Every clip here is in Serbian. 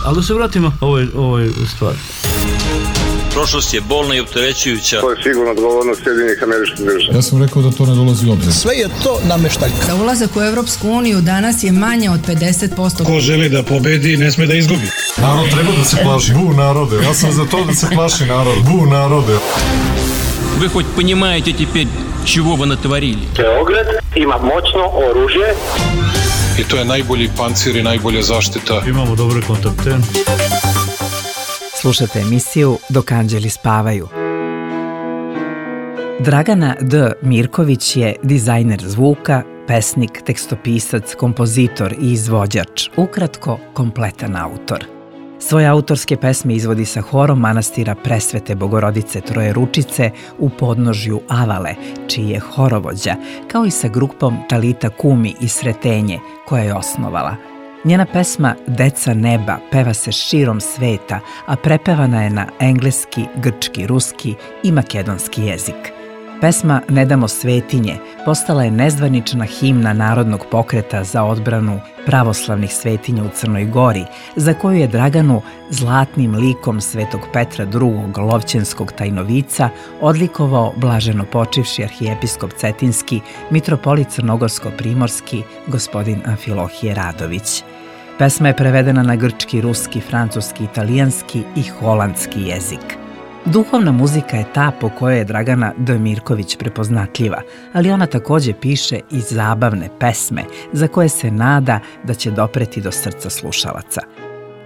Ali da se vratimo ovoj stvari. Prošlost je bolna i opterećujuća. To je sigurno odgovornost Sjedinjenih Američkih Država. Ja sam rekao da to ne dolazi u obzir. Sve je to nameštaljka. Da ulazak u Evropsku uniju danas je manje od 50%. Ko želi da pobedi, ne sme da izgubi. Narod treba da se plaši. Bu narode. Ja sam za to da se plaši narod. Bu narode. Вы хоть понимаете теперь, чего вы натворили? Beograd ima moćno oružje. I to je najbolji pancir i najbolja zaštita. Imamo dobre kontakte. Slušate emisiju Dok anđeli spavaju. Dragana D. Mirković je dizajner zvuka, pesnik, tekstopisac, kompozitor i izvođač, ukratko kompletan autor. Svoje autorske pesme izvodi sa horom manastira Presvete Bogorodice Trojeručice u podnožju Avale, čiji je horovođa, kao i sa grupom Talita Kumi iz Sretenje, koja je osnovala. Njena pesma Deca neba peva se širom sveta, a prepevana je na engleski, grčki, ruski i makedonski jezik. Pesma Ne damo svetinje postala je nezvanična himna Narodnog pokreta za odbranu pravoslavnih svetinja u Crnoj Gori, za koju je Draganu zlatnim likom Svetog Petra II. Lovćenskog tajnovica odlikovao blaženo počivši arhijepiskop Cetinski, mitropolit Crnogorsko-primorski, gospodin Amfilohije Radović. Pesma je prevedena na grčki, ruski, francuski, italijanski i holandski jezik. Duhovna muzika je ta po kojoj je Dragana D. Mirković prepoznatljiva, ali ona takođe piše i zabavne pesme za koje se nada da će dopreti do srca slušalaca.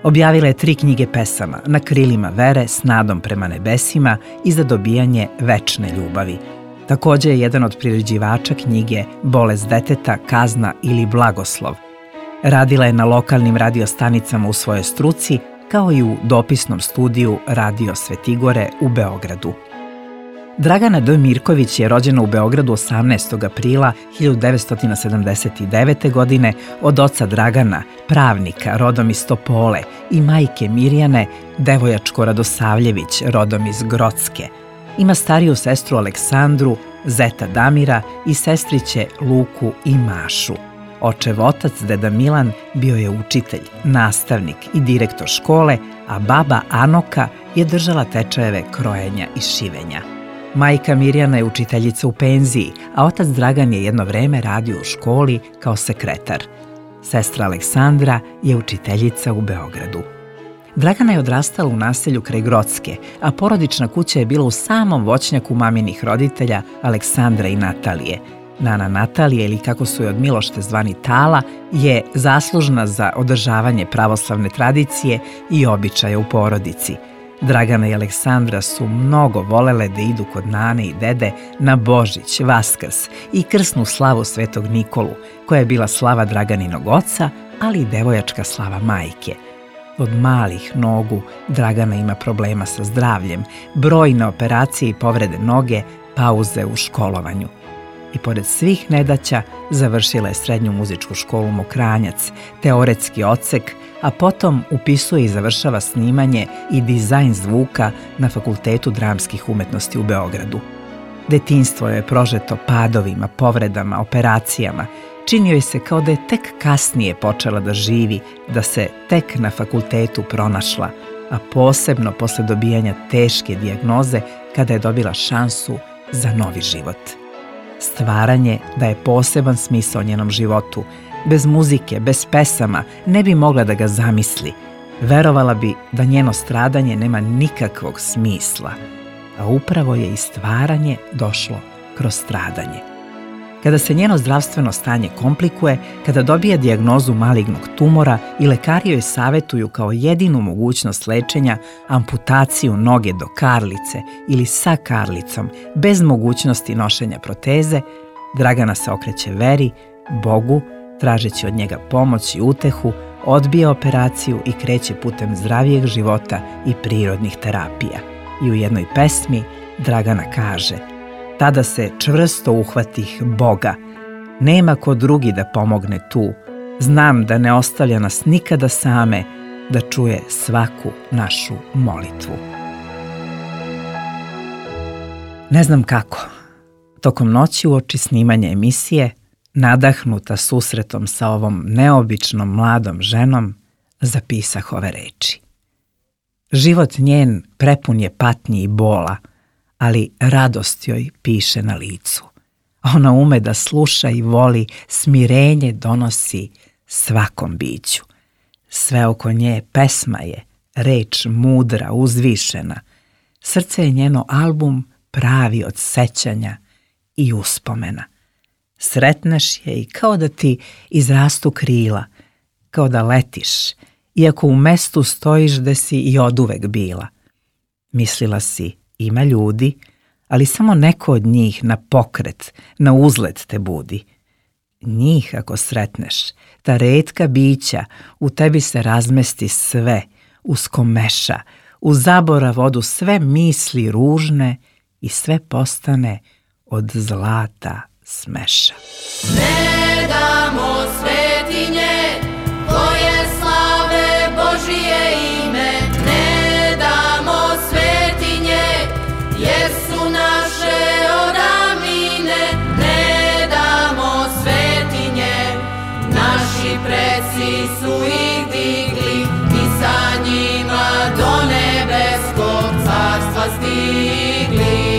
Objavila je 3 knjige pesama Na krilima vere, S nadom prema nebesima i Za dobijanje večne ljubavi. Takođe je jedan od priređivača knjige Bolest deteta, kazna ili blagoslov. Radila je na lokalnim radiostanicama u svojoj struci, kao i u dopisnom studiju Radio Svetigore u Beogradu. Dragana D. Mirković je rođena u Beogradu 18. aprila 1979. godine od oca Dragana, pravnika, rodom iz Topole, i majke Mirjane, Devojačko Radosavljević, rodom iz Grocke. Ima stariju sestru Aleksandru, zeta Damira i sestriće Luku i Mašu. Očev otac, deda Milan, bio je učitelj, nastavnik i direktor škole, a baba Anoka je držala tečajeve krojenja i šivenja. Majka Mirjana je učiteljica u penziji, a otac Dragan je jedno vreme radio u školi kao sekretar. Sestra Aleksandra je učiteljica u Beogradu. Dragana je odrastala u naselju kraj Grocke, a porodična kuća je bila u samom voćnjaku maminih roditelja Aleksandra i Natalije. Nana Natalija, ili kako su je od milošte zvani Tala, je zaslužna za održavanje pravoslavne tradicije i običaja u porodici. Dragana i Aleksandra su mnogo volele da idu kod nane i dede na Božić, Vaskrs i krsnu slavu Svetog Nikolu, koja je bila slava Draganinog oca, ali i devojačka slava majke. Od malih nogu Dragana ima problema sa zdravljem, brojne operacije i povrede noge, pauze u školovanju. I pored svih nedaća završila je srednju muzičku školu Mokranjac, teoretski odsek, a potom upisuje i završava snimanje i dizajn zvuka na Fakultetu dramskih umetnosti u Beogradu. Detinjstvo je prožeto padovima, povredama, operacijama. Činio je se kao da je tek kasnije počela da živi, da se tek na fakultetu pronašla, a posebno posle dobijanja teške dijagnoze kada je dobila šansu za novi život. Stvaranje daje poseban smisao njenom životu. Bez muzike, bez pesama ne bi mogla da ga zamisli. Verovala bi da njeno stradanje nema nikakvog smisla, a upravo je i stvaranje došlo kroz stradanje. Kada se njeno zdravstveno stanje komplikuje, kada dobija dijagnozu malignog tumora i lekari joj savetuju kao jedinu mogućnost lečenja amputaciju noge do karlice ili sa karlicom, bez mogućnosti nošenja proteze, Dragana se okreće veri, Bogu, tražeći od njega pomoć i utehu, odbija operaciju i kreće putem zdravijeg života i prirodnih terapija. I u jednoj pesmi Dragana kaže: tada se čvrsto uhvatih Boga. Nema ko drugi da pomogne tu. Znam da ne ostavlja nas nikada same, da čuje svaku našu molitvu. Ne znam kako. Tokom noći uoči snimanja emisije, nadahnuta susretom sa ovom neobičnom mladom ženom, zapisah ove reči. Život njen prepun je patnji i bola, ali radost joj piše na licu. Ona ume da sluša i voli, smirenje donosi svakom biću. Sve oko nje pesma je, reč mudra, uzvišena. Srce je njeno album pravi od sećanja i uspomena. Sretneš je i kao da ti izrastu krila, kao da letiš, iako u mestu stojiš gde si i oduvek bila. Mislila si, ima ljudi, ali samo neko od njih na pokret, na uzlet te budi. Njih ako sretneš, ta retka bića, u tebi se razmesti sve, uskomeša, u zaborav odu sve misli ružne i sve postane od zlata smeša. Ne damo svetinje koje slave Božije ime, ne damo svetinje jer su naše odavnine, ne damo svetinje, naši preci su ih digli i sa njima do nebeskog carstva stigli.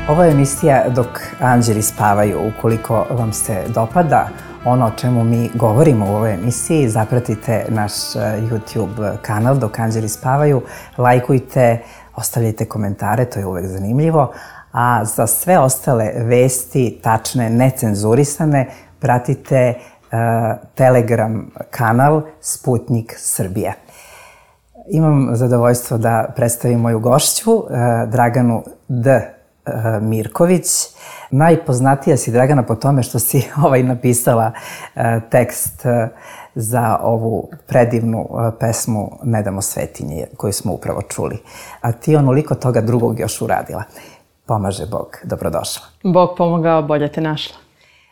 Ovo je emisija Dok anđeli spavaju. Ukoliko vam se dopada ono o čemu mi govorimo u ovoj emisiji, zapratite naš YouTube kanal Dok anđeli spavaju, lajkujte, ostavljajte komentare, to je uvek zanimljivo. A za sve ostale vesti, tačne, necenzurisane, pratite Telegram kanal Sputnik Srbije. Imam zadovoljstvo da predstavim moju gošću, Draganu D. Mirković. Najpoznatija si, Dragana, po tome što si napisala tekst za ovu predivnu pesmu Ne damo svetinje, koju smo upravo čuli. A ti onoliko toga drugog još uradila. Pomaže Bog, dobrodošla. Bog pomogao, bolje te našla.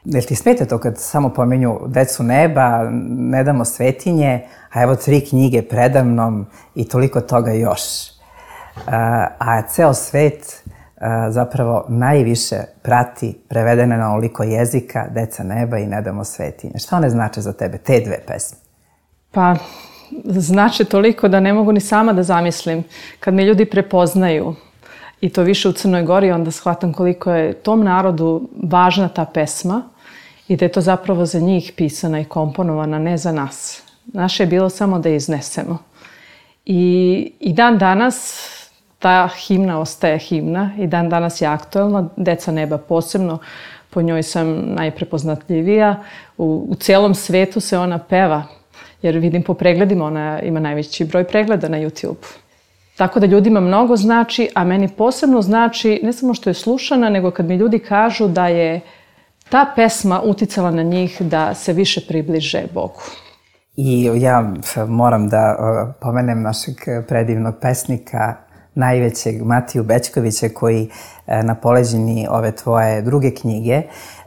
Jel ti smeta to kad samo pomenju Decu neba, Ne damo svetinje, a evo 3 knjige predamnom i toliko toga još. A ceo svet zapravo najviše prati prevedene na onoliko jezika Deca neba i Ne damo svetinje. Šta one znače za tebe, te 2 pesme? Pa, znače toliko da ne mogu ni sama da zamislim. Kad me ljudi prepoznaju, i to više u Crnoj Gori, onda shvatam koliko je tom narodu važna ta pesma i da je to zapravo za njih pisana i komponovana, ne za nas. Naše je bilo samo da je iznesemo. I dan danas ta himna ostaje himna i dan danas je aktuelna. Deca neba posebno, po njoj sam najprepoznatljivija. U cijelom svetu se ona peva, jer vidim po pregledima, ona ima najveći broj pregleda na YouTube. Tako da ljudima mnogo znači, a meni posebno znači ne samo što je slušana, nego kad mi ljudi kažu da je ta pesma uticala na njih da se više približe Bogu. I ja moram da pomenem našeg predivnog pesnika, najvećeg Matiju Bećkovića, koji na poleđini ove tvoje druge knjige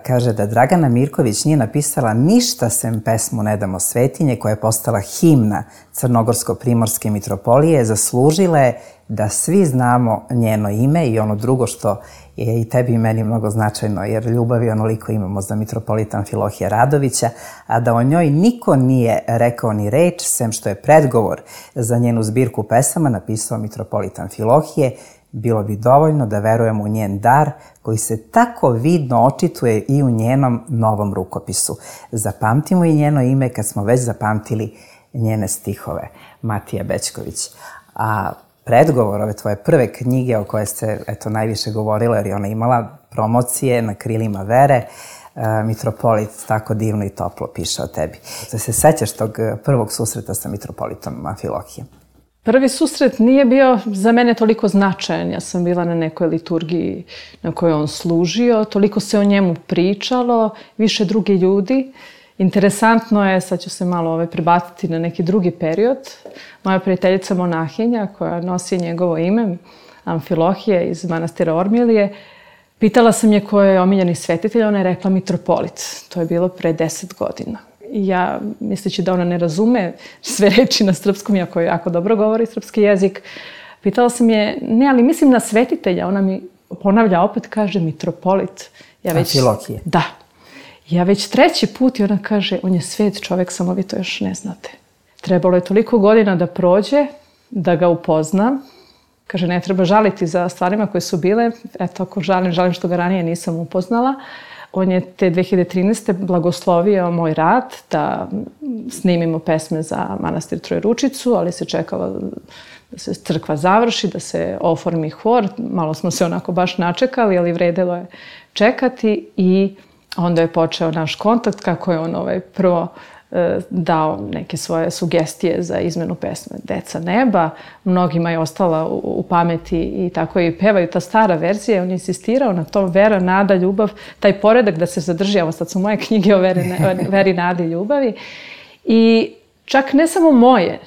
kaže da Dragana Mirković nije napisala ništa sem pesmu Ne damo svetinje, koja je postala himna Crnogorsko-primorske mitropolije, zaslužila je da svi znamo njeno ime i ono drugo što je i tebi i meni mnogo značajno, jer ljubavi onoliko imamo za mitropolita Amfilohija Radovića, a da o njoj niko nije rekao ni reč, sem što je predgovor za njenu zbirku pesama napisao mitropolita Amfilohije, bilo bi dovoljno da verujemo u njen dar koji se tako vidno očituje i u njenom novom rukopisu. Zapamtimo i njeno ime kad smo već zapamtili njene stihove. Matija Bećković. A predgovor ove tvoje prve knjige o koje ste najviše govorila, jer je ona imala promocije na krilima vere, mitropolit tako divno i toplo piše o tebi. Da se sećaš tog prvog susreta sa mitropolitom Amfilohijem? Prvi susret nije bio za mene toliko značajan. Ja sam bila na nekoj liturgiji na kojoj on služio. Toliko se o njemu pričalo, više drugi ljudi. Interesantno je, sad ću se malo prebaciti na neki drugi period. Moja prijateljica monahinja koja nosi njegovo ime, Amfilohije iz manastira Ormilije, pitala sam je ko je omiljeni svetitelj, ona je rekla mitropolit. To je bilo pre 10 godina. ja, misleći da ona ne razume sve reči na srpskom, iako jako dobro govori srpski jezik, pitala sam je, ne, ali mislim na svetitelja. Ona mi ponavlja opet, kaže mitropolit. Amfilohije. Da. Ja već 3. put i ona kaže, on je svet čovek, samo vi to još ne znate. Trebalo je toliko godina da prođe, da ga upoznam. Kaže, ne treba žaliti za stvarima koje su bile. Eto, ako žalim što ga ranije nisam upoznala. On je te 2013. blagoslovio moj rad da snimimo pesme za manastir Trojeručicu, ali se čekalo da se crkva završi, da se oformi hor. Malo smo se onako baš načekali, ali vredelo je čekati i onda je počeo naš kontakt kako je on prvo dao neke svoje sugestije za izmenu pesme Deca neba. Mnogima je ostala u pameti i tako i pevaju ta stara verzija. On je insistirao na tom vera, nada, ljubav, taj poredak da se zadrži. Evo sad su moje knjige o veri, nadi i ljubavi. I čak ne samo moje,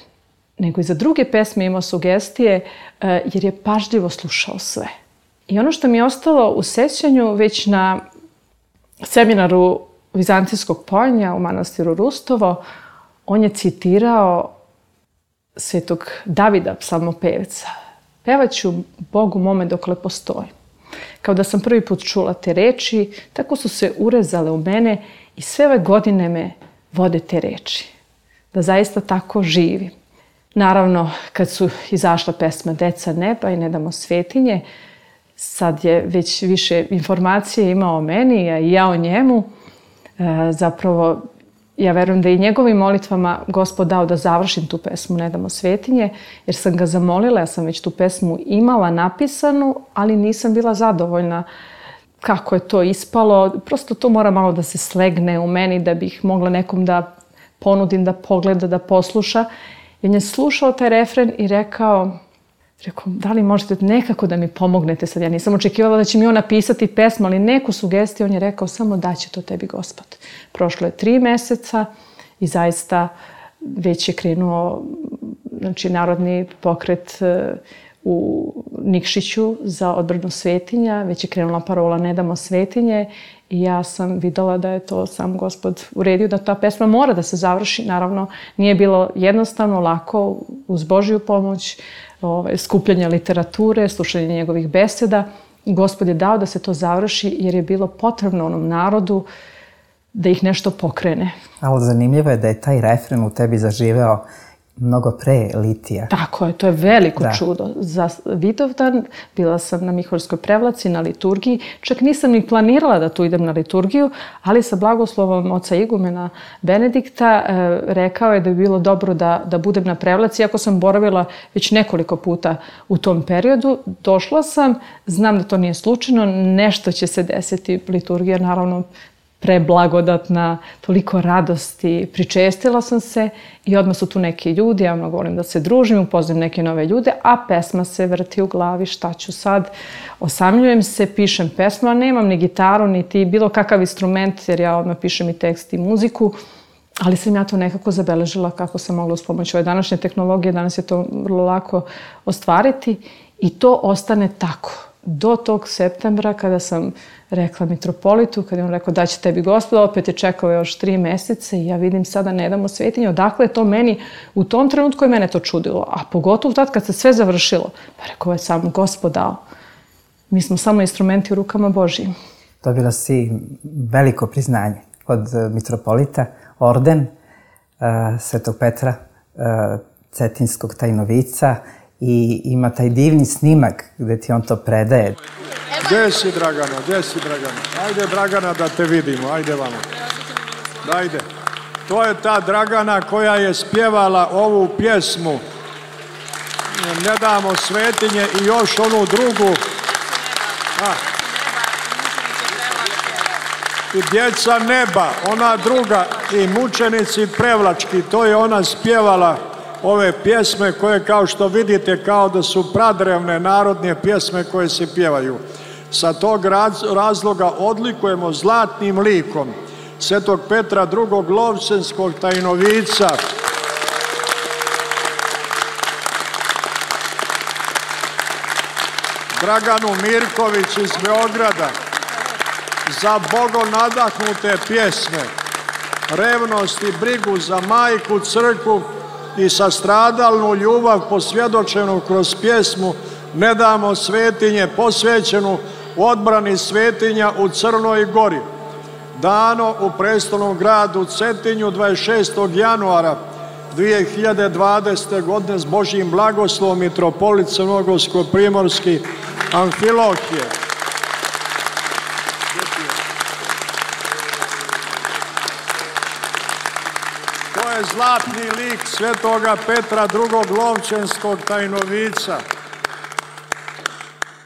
nego i za druge pesme imao sugestije jer je pažljivo slušao sve. I ono što mi je ostalo u sećanju već na seminaru Vizantijskog poljanja u manastiru Rustovo, on je citirao svetog Davida, psalmopevca. Pevaću Bogu mome dokle postojim. Kao da sam prvi put čula te reči, tako su se urezale u mene i sve ove godine me vode te reči. Da zaista tako živim. Naravno, kad su izašla pesma Deca neba i Ne damo svetinje, sad je već više informacije imao o meni, a i ja o njemu. Zapravo, ja verujem da i njegovim molitvama Gospod dao da završim tu pesmu Ne damo svetinje, jer sam ga zamolila, ja sam već tu pesmu imala napisanu, ali nisam bila zadovoljna kako je to ispalo. Prosto to mora malo da se slegne u meni da bih mogla nekom da ponudim, da pogleda, da posluša. I on je slušao taj refren i rekao, da li možete nekako da mi pomognete sad? Ja nisam očekivala da će mi on napisati pesmu, ali neku sugestiju. On je rekao, samo daće to tebi Gospod. Prošlo je 3 meseca i zaista već je krenuo narodni pokret u Nikšiću za odbranu svetinja. Već je krenula parola Ne damo svetinje i ja sam videla da je to sam Gospod uredio, da ta pesma mora da se završi. Naravno, nije bilo jednostavno, lako, uz Božju pomoć, skupljanje literature, slušanje njegovih beseda. Gospod je dao da se to završi jer je bilo potrebno onom narodu da ih nešto pokrene. Ali zanimljivo je da je taj refren u tebi zaživeo mnogo pre litija. Tako je, to je veliko čudo. Za Vidovdan bila sam na Miholjskoj prevlaci, na liturgiji. Čak nisam ni planirala da tu idem na liturgiju, ali sa blagoslovom oca igumena Benedikta rekao je da bi bilo dobro da budem na prevlaci. Iako sam boravila već nekoliko puta u tom periodu, došla sam, znam da to nije slučajno, nešto će se desiti. Liturgija, naravno, preblagodatna, toliko radosti, pričestila sam se i odmah su tu neki ljudi, ja mnogo volim da se družim, upoznam neke nove ljude, a pesma se vrti u glavi, šta ću sad, osamljujem se, pišem pesmu, a nemam ni gitaru, niti bilo kakav instrument, jer ja odmah pišem i tekst i muziku, ali sam ja to nekako zabeležila kako sam mogla uz pomoć ove današnje tehnologije, danas je to vrlo lako ostvariti i to ostane tako. Do tog septembra kada sam rekla mitropolitu, kada je on rekao da će tebi Gospod, opet je čekao još 3 meseca i ja vidim sada Ne damo svetinje. Odakle je to meni, u tom trenutku je mene to čudilo, a pogotovo tad kad se sve završilo. Pa rekao je sam Gospod dao. Mi smo samo instrumenti u rukama Božijim. Dobila si veliko priznanje od mitropolita, orden Svetog Petra Cetinskog tajnovica, i ima taj divni snimak gde ti on to predaje. Gde si, Dragana? Gde si, Dragana? Ajde, Dragana, da te vidimo. Ajde vamo. Ajde. To je ta Dragana koja je spjevala ovu pjesmu Ne damo svetinje i još onu drugu. I Djeca neba, ona druga, i Mučenici prevlački. To je ona spjevala ove pjesme koje, kao što vidite, kao da su pradrevne narodne pjesme koje se pjevaju. Sa tog razloga odlikujemo zlatnim likom Svetog Petra II. Lovćenskog tajnovica, Draganu Mirković iz Beograda, za Bogom nadahnute pjesme. revnost i brigu za majku, crkvu i sastradalnu ljubav posvjedočenu kroz pjesmu Ne damo svetinje, posvećenu odbrani svetinja u Crnoj Gori, dano u prestolnom gradu Cetinju 26. januara 2020. godine s Božjim blagoslovom mitropolit Crnogorsko-primorski Amfilohije. To je zlatni lik svetoga Petra II. Lovćenskog tajnovica.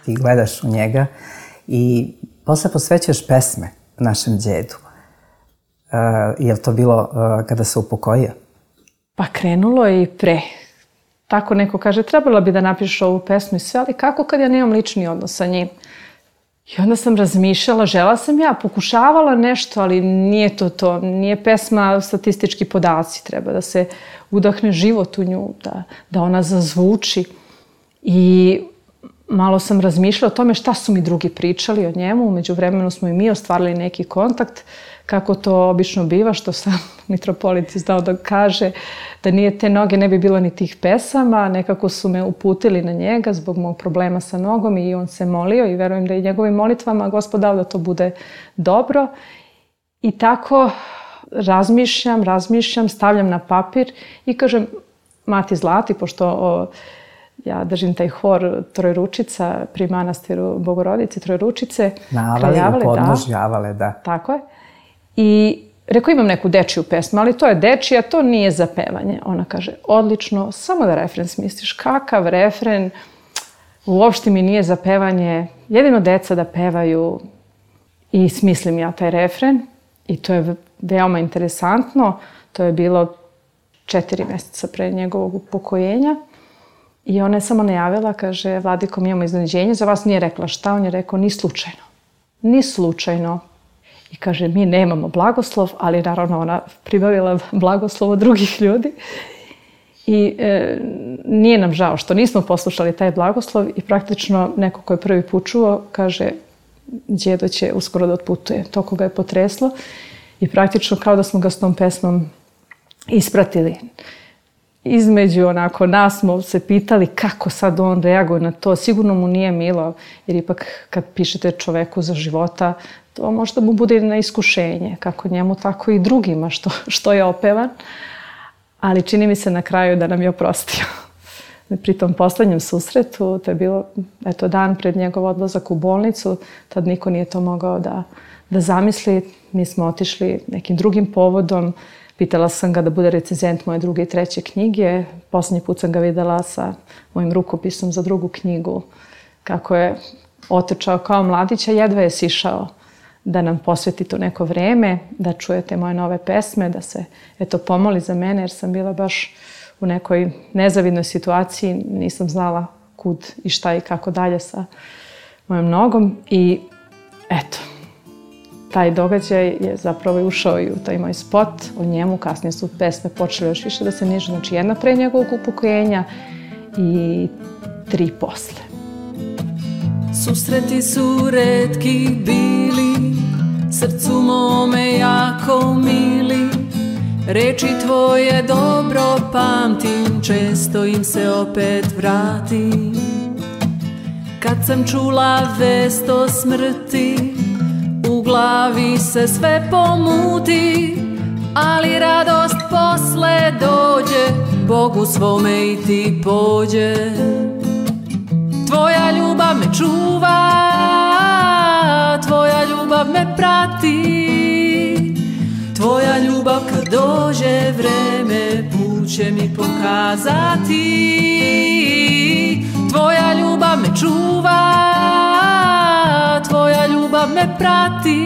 Ti gledaš u njega i posle posvećuješ pesme našem djedu. Je li to bilo kada se upokojio? Pa krenulo je i pre. Tako neko kaže, trebala bi da napišeš ovu pesmu i sve, ali kako kad ja nemam lični odnos sa njim? I onda sam razmišljala, žela sam ja, pokušavala nešto, ali nije to. Nije pesma statistički podaci, treba da se udahne život u nju, da ona zazvuči. I malo sam razmišljala o tome šta su mi drugi pričali o njemu. U međuvremenu smo i mi ostvarili neki kontakt, kako to obično biva, što sam mitropolit znao da kaže, da nije te noge ne bi bilo ni tih pesama. Nekako su me uputili na njega zbog mog problema sa nogom i on se molio i verujem da i njegovim molitvama Gospod dao da to bude dobro. I tako razmišljam, stavljam na papir i kažem Mati Zlati, pošto ja držim taj hor Trojručica pri manastiru Bogorodice Trojručice. Na Avali, u podnožju Avale, da. Tako je. I rekao, imam neku dečiju pesmu, ali to je dečija, to nije za pevanje. Ona kaže, odlično, samo da refren smisliš. Kakav refren? Uopšte mi nije za pevanje. Jedino deca da pevaju. I smislim ja taj refren. I to je veoma interesantno. To je bilo 4 mjeseca pre njegovog upokojenja. I ona je samo najavila, kaže, Vladiko, mi imamo iznenađenje, za vas nije rekla šta. On je rekao, ni slučajno. Ni slučajno. I kaže, mi nemamo blagoslov, ali naravno ona pribavila blagoslov od drugih ljudi. I nije nam žao što nismo poslušali taj blagoslov i praktično neko ko je prvi put čuo kaže, djedo će uskoro da otputuje. To koga je potreslo i praktično kao da smo ga s tom pesmom ispratili. Između onako nas smo se pitali kako sad on reaguje na to. Sigurno mu nije milo, jer ipak kad pišete čoveku za života, to možda mu bude na iskušenje, kako njemu, tako i drugima što je opevan. Ali čini mi se na kraju da nam je oprostio. Pri tom poslednjem susretu, to je bilo dan pred njegov odlazak u bolnicu, tad niko nije to mogao da zamisli. Mi smo otišli nekim drugim povodom. Pitala sam ga da bude recenzent moje 2. i 3. knjige. Poslednji put sam ga videla sa mojim rukopisom za 2. knjigu. Kako je otečao kao mladić, a jedva je sišao da nam posveti to neko vreme, da čujete moje nove pesme, da se pomoli za mene, jer sam bila baš u nekoj nezavidnoj situaciji. Nisam znala kud i šta i kako dalje sa mojom nogom. I eto, taj događaj je zapravo ušao i u taj moj spot o njemu. Kasnije su pesme počele još više da se nižu. Znači 1 pre njegovog upokojenja i 3 posle. Susreti su retki bili, srcu mome jako mili. Reči tvoje dobro pamtim, često im se opet vratim. Kad sam čula vest o smrti, u glavi se sve pomuti, ali radost posle dođe, Bogu svome i ti pođe. Tvoja ljubav me čuva, tvoja ljubav me prati, tvoja ljubav kad dođe vreme, put će mi pokazati. Tvoja ljubav me čuva, tvoja ljubav me prati,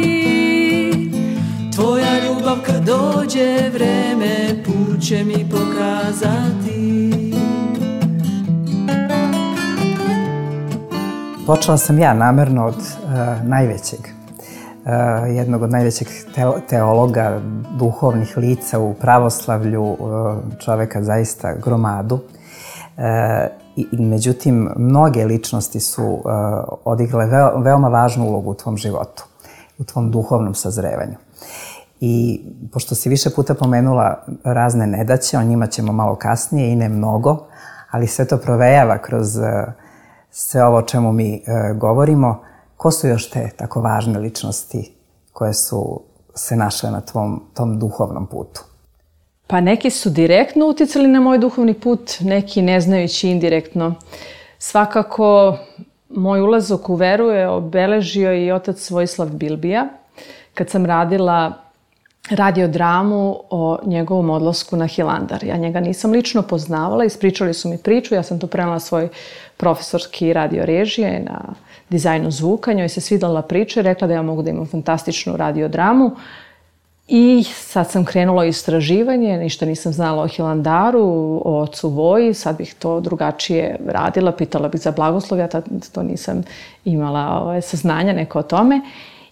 tvoja ljubav kad dođe vreme, put će mi pokazati. Počela sam ja namerno od jednog od najvećeg teologa, duhovnih lica u pravoslavlju, čoveka zaista gromadu. Međutim, mnoge ličnosti su odigrale veoma važnu ulogu u tvom životu, u tvom duhovnom sazrevanju. I pošto si više puta pomenula razne nedaće, o njima ćemo malo kasnije i ne mnogo, ali sve to provejava kroz sve ovo o čemu mi govorimo. Ko su još te tako važne ličnosti koje su se našle na tom duhovnom putu? Pa neki su direktno uticali na moj duhovni put, neki ne znajući indirektno. Svakako, moj ulazak u veru je obeležio i otac Vojislav Bilbija. Kad sam radila radiodramu o njegovom odlasku na Hilandar. Ja njega nisam lično poznavala, ispričali su mi priču, ja sam to prenela svoj profesorski radio režije na dizajnu zvuka, njoj se svidjela priča i rekla da ja mogu da imam fantastičnu radiodramu. I sad sam krenula u istraživanje, ništa nisam znala o Hilandaru, o ocu Voji, sad bih to drugačije radila, pitala bih za blagoslov, ja to nisam imala saznanja neko o tome.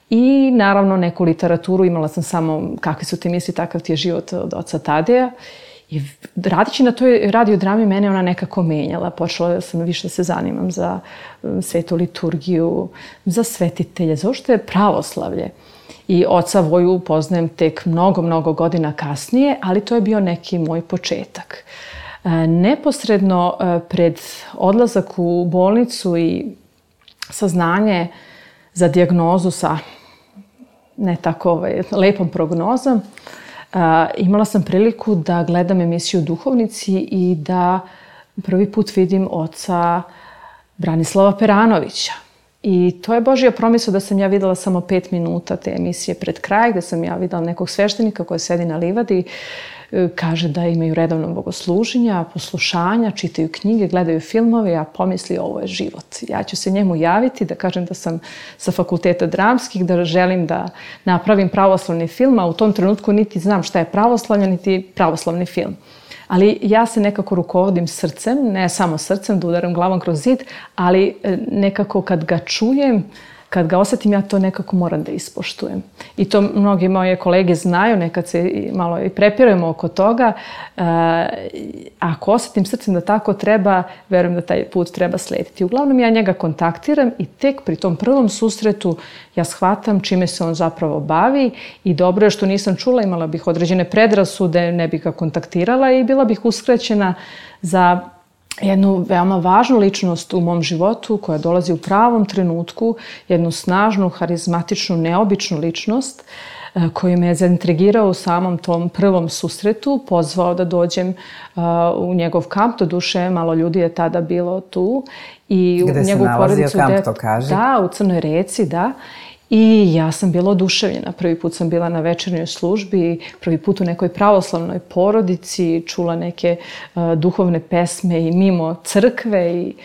I naravno neku literaturu, imala sam samo kakvi su ti misli, takav ti je život od oca Tadeja. I radići na toj radiodrami mene ona nekako menjala. Počela sam više da se zanimam za svetu liturgiju, za svetitelje, za uopšte pravoslavlje. I oca Voju poznajem tek mnogo godina kasnije, ali to je bio neki moj početak. Neposredno pred odlazak u bolnicu i saznanje za dijagnozu sa ne tako lepom prognozom, imala sam priliku da gledam emisiju Duhovnici i da prvi put vidim oca Branislava Peranovića. I to je Božja promisao da sam ja videla samo 5 minuta te emisije pred kraj, gde sam ja videla nekog sveštenika koji sedi na livadi, kaže da imaju redovno bogosluženja, poslušanja, čitaju knjige, gledaju filmove, a pomisli ovo je život. Ja ću se njemu javiti, da kažem da sam sa fakulteta dramskih, da želim da napravim pravoslavni film, a u tom trenutku niti znam šta je pravoslavlje, niti pravoslavni film. Ali ja se nekako rukovodim srcem, ne samo srcem, da udaram glavom kroz zid, ali nekako kad ga čujem, kad ga osjetim, ja to nekako moram da ispoštujem. I to mnogi moje kolege znaju, nekad se malo i prepirujemo oko toga. Ako osjetim srcem da tako treba, verujem da taj put treba slediti. Uglavnom ja njega kontaktiram i tek pri tom prvom susretu ja shvatam čime se on zapravo bavi i dobro je što nisam čula, imala bih određene predrasude, ne bih ga kontaktirala i bila bih uskraćena za jednu veoma važnu ličnost u mom životu koja dolazi u pravom trenutku, jednu snažnu, harizmatičnu, neobičnu ličnost koji me je zaintrigirao u samom tom prvom susretu, pozvao da dođem u njegov kamp, do duše malo ljudi je tada bilo tu. I gde se nalazio kamp, to kaže? Da, u Crnoj Reci, da. I ja sam bila oduševljena. Prvi put sam bila na večernjoj službi, prvi put u nekoj pravoslavnoj porodici, čula neke duhovne pesme i mimo crkve i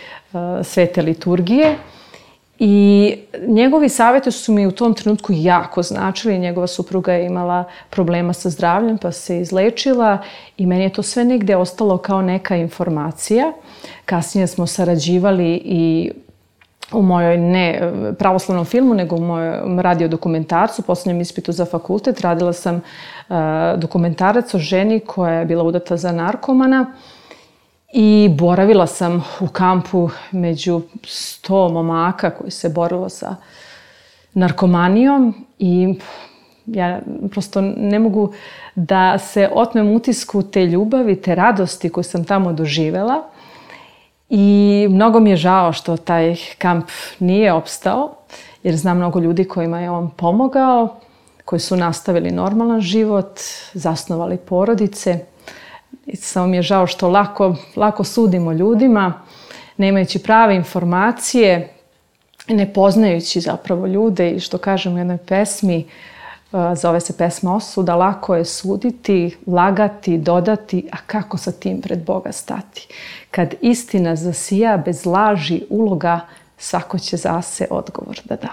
svete liturgije. I njegovi savjeti su mi u tom trenutku jako značili. Njegova supruga je imala problema sa zdravljem pa se izlečila i meni je to sve negde ostalo kao neka informacija. Kasnije smo sarađivali i u mojoj ne pravoslavnom filmu, nego u mojom radiodokumentarcu, poslednjem ispitu za fakultet. Radila sam dokumentarac o ženi koja je bila udata za narkomana i boravila sam u kampu među 100 momaka koji se borilo sa narkomanijom i ja prosto ne mogu da se otmem utisku te ljubavi, te radosti koju sam tamo doživela. I mnogo mi je žao što taj kamp nije opstao, jer znam mnogo ljudi kojima je on pomogao, koji su nastavili normalan život, zasnovali porodice. I samo mi je žao što lako sudimo ljudima, nemajući prave informacije, ne poznajući zapravo ljude i što kažem u jednoj pesmi, zove se pesma Osuda, lako je suditi, lagati, dodati, a kako sa tim pred Boga stati? Kad istina zasija bez laži uloga, svako će zase odgovor da da.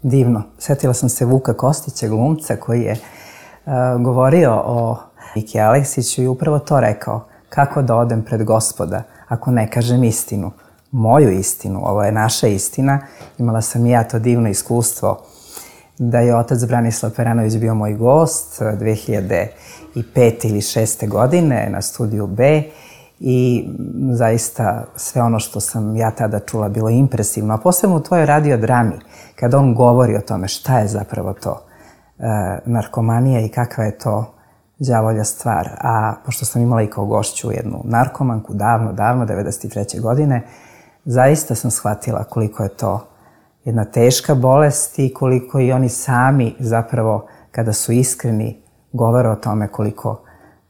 Divno. Sjetila sam se Vuka Kostića, glumca, koji je govorio o Miki Aleksiću i upravo to rekao. Kako da odem pred Gospoda ako ne kažem istinu? Moju istinu, ovo je naša istina. Imala sam i ja to divno iskustvo da je otac Branislav Peranović bio moj gost 2005. ili 2006. godine na Studiju B i zaista sve ono što sam ja tada čula bilo impresivno, a posebno u tvojoj radiodrami, kada on govori o tome šta je zapravo to narkomanija i kakva je to đavolja stvar. A pošto sam imala i kao gošću jednu narkomanku davno, 93. godine, zaista sam shvatila koliko je to jedna teška bolest i koliko i oni sami zapravo, kada su iskreni, govore o tome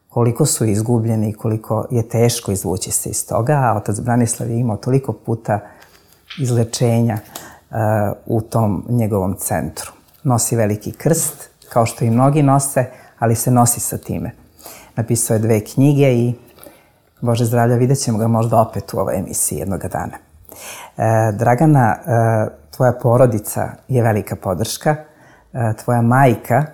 koliko su izgubljeni i koliko je teško izvući se iz toga. A otac Branislav je imao toliko puta izlečenja u tom njegovom centru. Nosi veliki krst, kao što i mnogi nose, ali se nosi sa time. Napisao je 2 knjige i, Bože zdravlja, vidjet ćemo ga možda opet u ovoj emisiji jednoga dana. Dragana, tvoja porodica je velika podrška. Tvoja majka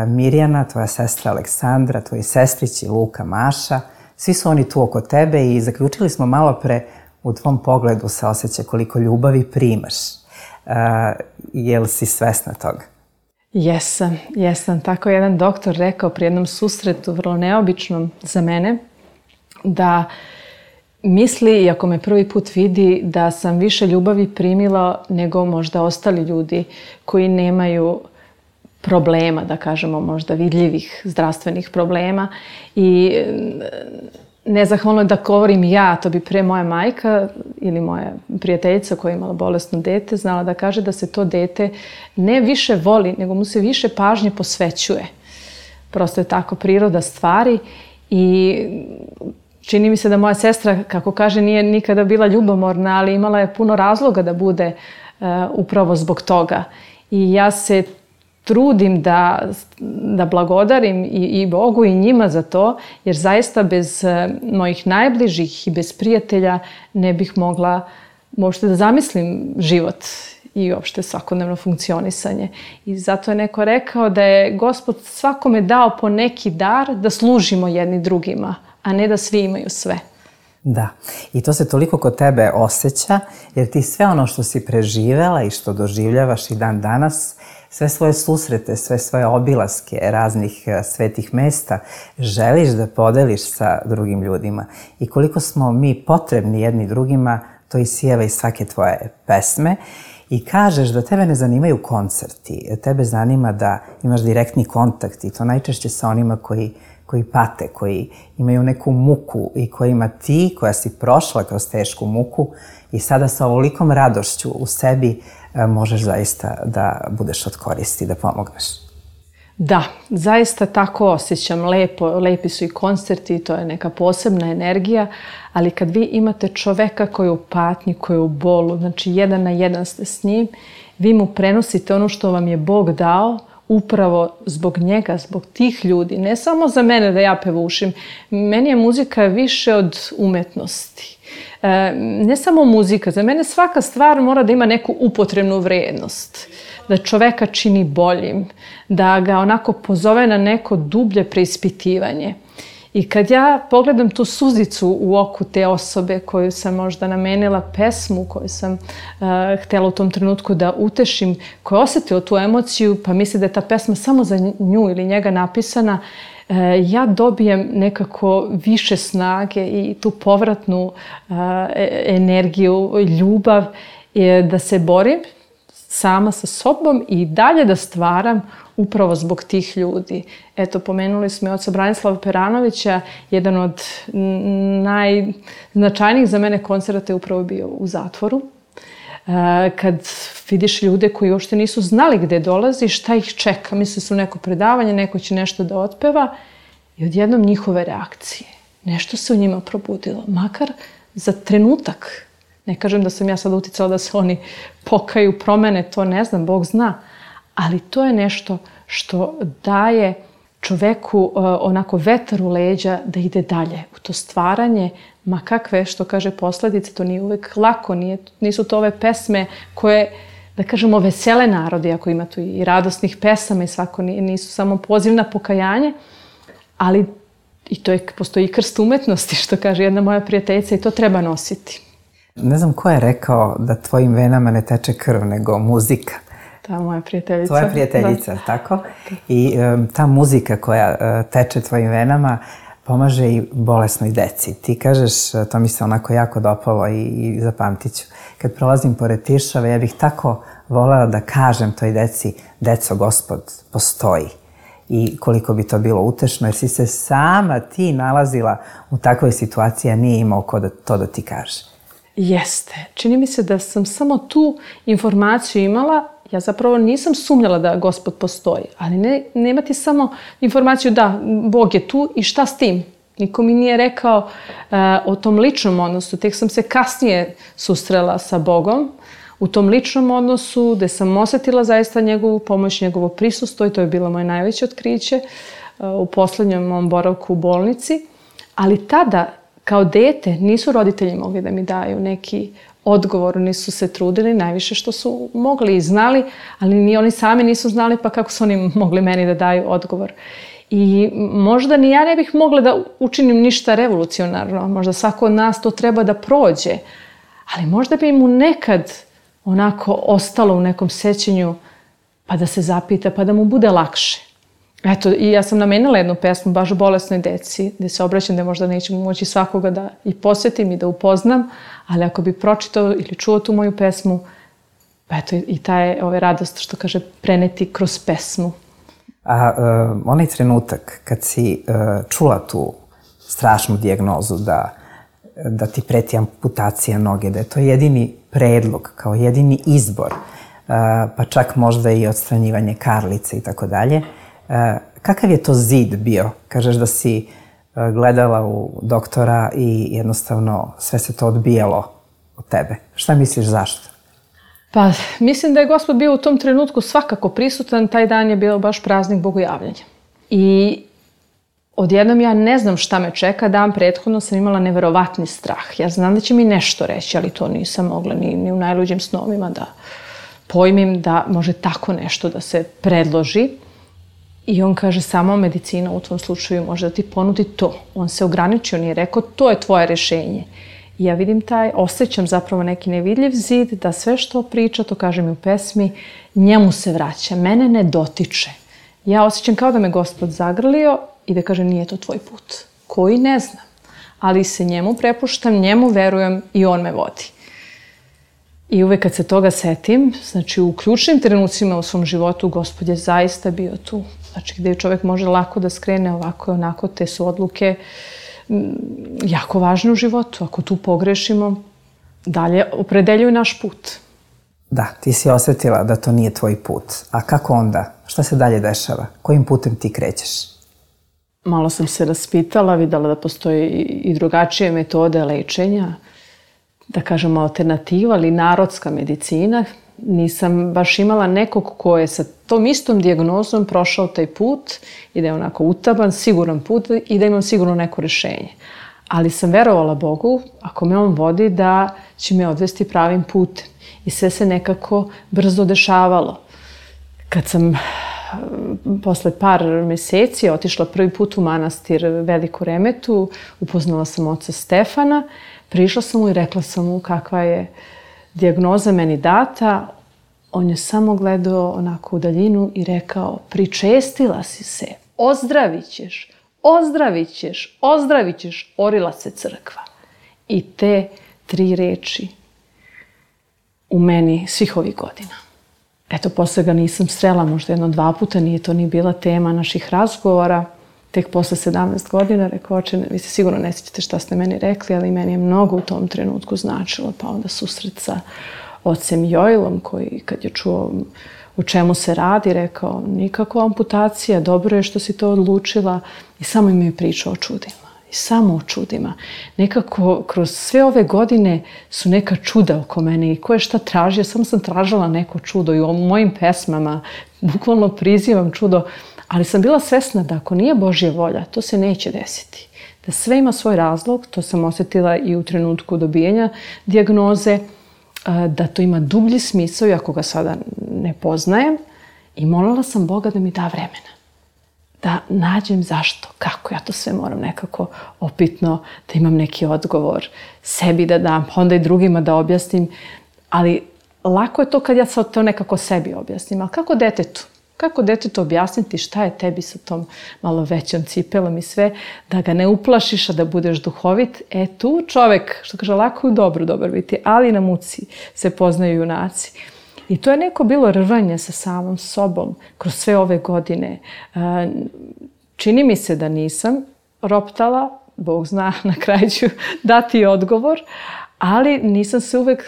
Mirjana, tvoja sestra Aleksandra, tvoji sestrići Luka, Maša, svi su oni tu oko tebe i zaključili smo malo pre, u tvom pogledu se osjeća koliko ljubavi primaš. Jel si svesna toga? Jesam. Tako je jedan doktor rekao pri jednom susretu, vrlo neobičnom za mene, da misli, iako me prvi put vidi, da sam više ljubavi primila nego možda ostali ljudi koji nemaju problema, da kažemo možda vidljivih zdravstvenih problema. I nezahvalno da govorim ja, to bi pre moja majka ili moja prijateljica koja je imala bolesno dete znala da kaže da se to dete ne više voli, nego mu se više pažnje posvećuje. Prosto je tako priroda stvari i čini mi se da moja sestra, kako kaže, nije nikada bila ljubomorna, ali imala je puno razloga da bude upravo zbog toga. I ja se trudim da blagodarim i Bogu i njima za to, jer zaista bez mojih najbližih i bez prijatelja ne bih mogla uopšte da zamislim život i uopšte svakodnevno funkcionisanje. I zato je neko rekao da je Gospod svakome dao po neki dar da služimo jedni drugima, a ne da svi imaju sve. Da, i to se toliko kod tebe osjeća, jer ti sve ono što si preživela i što doživljavaš i dan danas, sve svoje susrete, sve svoje obilaske raznih svetih mesta želiš da podeliš sa drugim ljudima. I koliko smo mi potrebni jedni drugima, to isijeva iz svake tvoje pesme. I kažeš da tebe ne zanimaju koncerti, tebe zanima da imaš direktni kontakt i to najčešće sa onima koji pate, koji imaju neku muku i kojima ti, koja si prošla kroz tešku muku i sada sa ovolikom radošću u sebi možeš zaista da budeš od koristi, da pomogneš. Da, zaista tako osjećam. Lepi su i koncerti, to je neka posebna energija, ali kad vi imate čoveka koji je u patnji, koji je u bolu, znači 1 na 1 ste s njim, vi mu prenosite ono što vam je Bog dao, upravo zbog njega, zbog tih ljudi. Ne samo za mene da ja pevušim. Meni je muzika više od umetnosti. Ne samo muzika, za mene svaka stvar mora da ima neku upotrebnu vrednost. Da čoveka čini boljim, da ga onako pozove na neko dublje preispitivanje. I kad ja pogledam tu suzicu u oku te osobe koju sam možda namenila pesmu, koju sam htjela u tom trenutku da utešim, koja je osjetila tu emociju, pa misli da je ta pesma samo za nju ili njega napisana, ja dobijem nekako više snage i tu povratnu energiju, ljubav, da se borim sama sa sobom i dalje da stvaram upravo zbog tih ljudi. Eto, pomenuli smo i oca Branislava Peranovića, jedan od najznačajnijih za mene koncerata je upravo bio u zatvoru. Kad vidiš ljude koji uopšte nisu znali gde dolazi, šta ih čeka, misle su neko predavanje, neko će nešto da otpeva i odjednom njihove reakcije. Nešto se u njima probudilo, makar za trenutak. Ne kažem da sam ja sad uticala da se oni pokaju, promene, to ne znam, Bog zna. Ali to je nešto što daje čoveku onako vetar u leđa da ide dalje u to stvaranje, ma kakve, što kaže posledice, to nije uvek lako, nisu to ove pesme koje, da kažemo, vesele narodi, ako ima tu i radosnih pesama i svako nisu samo poziv na pokajanje, ali i to postoji krst umetnosti, što kaže jedna moja prijateljica, i to treba nositi. Ne znam ko je rekao da tvojim venama ne teče krv, nego muzika. Ta moja prijateljica. Tvoja prijateljica, da. Tako? I ta muzika koja teče tvojim venama pomaže i bolesnoj deci. Ti kažeš, to mi se onako jako dopalo i zapamtit ću. Kad prolazim pored Tiršave, ja bih tako volela da kažem toj deci, deco, Gospod postoji. I koliko bi to bilo utešno, jer si se sama ti nalazila u takvoj situaciji, a nije imao ko to da ti kaže. Jeste. Čini mi se da sam samo tu informaciju imala. Ja zapravo nisam sumnjala da Gospod postoji, ali nema ti samo informaciju da Bog je tu i šta s tim. Niko mi nije rekao o tom ličnom odnosu. Tek sam se kasnije susrela sa Bogom u tom ličnom odnosu gde sam osetila zaista njegovu pomoć, njegovo prisustvo i to je bilo moje najveće otkriće u poslednjom mom boravku u bolnici. Ali tada, kao dete, nisu roditelji mogli da mi daju neki odgovor, nisu se trudili, najviše što su mogli i znali, ali ni oni sami nisu znali, pa kako su oni mogli meni da daju odgovor. I možda ni ja ne bih mogla da učinim ništa revolucionarno, možda svako od nas to treba da prođe, ali možda bi mu nekad onako ostalo u nekom sećanju pa da se zapita, pa da mu bude lakše. Eto, i ja sam namenila jednu pesmu baš bolesnoj deci, gde se obraćam da možda neću moći svakoga da i posjetim i da upoznam, ali ako bi pročitao ili čuo tu moju pesmu, pa eto i ta je radost, što kaže, preneti kroz pesmu. A onaj trenutak kad si čula tu strašnu dijagnozu da ti preti amputacija noge, da je to jedini predlog, kao jedini izbor, pa čak možda i odstranjivanje karlice i tako dalje, kakav je to zid bio? Kažeš da si gledala u doktora i jednostavno sve se to odbijalo od tebe. Šta misliš zašto? Pa mislim da je Gospod bio u tom trenutku svakako prisutan. Taj dan je bio baš praznik Bogojavljanja. I odjednom ja ne znam šta me čeka. Dan prethodno sam imala neverovatni strah. Ja znam da će mi nešto reći, ali to nisam mogla ni u najluđim snovima da pojmim da može tako nešto da se predloži. I on kaže, samo medicina u tvom slučaju može da ti ponudi to. On se ograničio, nije rekao, to je tvoje rešenje. I ja vidim osjećam zapravo neki nevidljiv zid, da sve što priča, to kažem i u pesmi, njemu se vraća, mene ne dotiče. Ja osjećam kao da me Gospod zagrlio i da kaže, nije to tvoj put, koji ne znam. Ali se njemu prepuštam, njemu verujem i on me vodi. I uvek kad se toga setim, znači u ključnim trenucima u svom životu, Gospod je zaista bio tu. Znači gde čovjek može lako da skrene ovako i onako, te su odluke jako važne u životu. Ako tu pogrešimo, dalje opredeljuju naš put. Da, ti si osjetila da to nije tvoj put. A kako onda? Šta se dalje dešava? Kojim putem ti krećeš? Malo sam se raspitala, videla da postoji i drugačije metode lečenja, da kažemo alternativa, ali narodska medicina. Nisam baš imala nekog ko je sa tom istom dijagnozom prošao taj put i da je onako utaban, siguran put i da imam sigurno neko rešenje. Ali sam verovala Bogu, ako me on vodi, da će me odvesti pravim putem. I sve se nekako brzo dešavalo. Kad sam posle par meseci otišla prvi put u manastir Veliku Remetu, upoznala sam oca Stefana, prišla sam mu i rekla sam mu kakva je dijagnoza meni data. On je samo gledao onako u daljinu i rekao, pričestila si se, ozdravit ćeš, ozdravit ćeš, ozdravit ćeš, orila se crkva. I te 3 reči u meni svih ovih godina. Eto, posle ga nisam srela, možda 1-2 puta, nije to ni bila tema naših razgovora. Tek posle 17 godina rekao, oče, vi se sigurno ne sjećate šta ste meni rekli, ali meni je mnogo u tom trenutku značilo. Pa onda susret sa ocem Joilom, koji kad je čuo o čemu se radi, rekao, nikakva amputacija, dobro je što si to odlučila. I samo im je pričao o čudima. I samo o čudima. Nekako kroz sve ove godine su neka čuda oko mene i ko je šta tražio, samo sam tražila neko čudo i u mojim pesmama bukvalno prizivam čudo, ali sam bila svesna da ako nije Božja volja, to se neće desiti. Da sve ima svoj razlog, to sam osjetila i u trenutku dobijanja dijagnoze, da to ima dublji smisao i ako ga sada ne poznajem. I molila sam Boga da mi da vremena. Da nađem zašto, kako ja to sve moram nekako opitno, da imam neki odgovor sebi da dam, pa onda i drugima da objasnim. Ali lako je to kad ja sad to nekako sebi objasnim. Ali kako detetu? Kako detetu objasniti šta je tebi sa tom malo većom cipelom i sve, da ga ne uplašiš, a da budeš duhovit? Tu čovek, što kaže, lako je dobro biti, ali na muci se poznaju junaci. I to je neko bilo rvanje sa samom sobom kroz sve ove godine. Čini mi se da nisam roptala, Bog zna, na kraju ću dati odgovor, ali nisam se uvek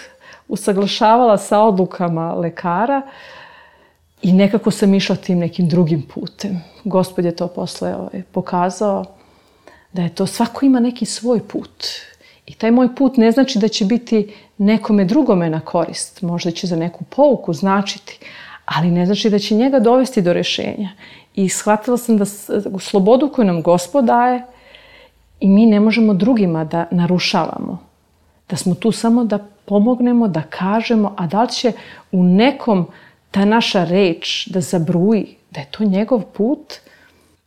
usaglašavala sa odlukama lekara i nekako sam išla tim nekim drugim putem. Gospod je to posle pokazao, da je to, svako ima neki svoj put. I taj moj put ne znači da će biti nekome drugome na korist. Možda će za neku pouku značiti, ali ne znači da će njega dovesti do rešenja. I shvatila sam da slobodu koju nam Gospod daje i mi ne možemo drugima da narušavamo. Da smo tu samo da pomognemo, da kažemo, a da li će u nekom ta naša reč da zabruji, da je to njegov put,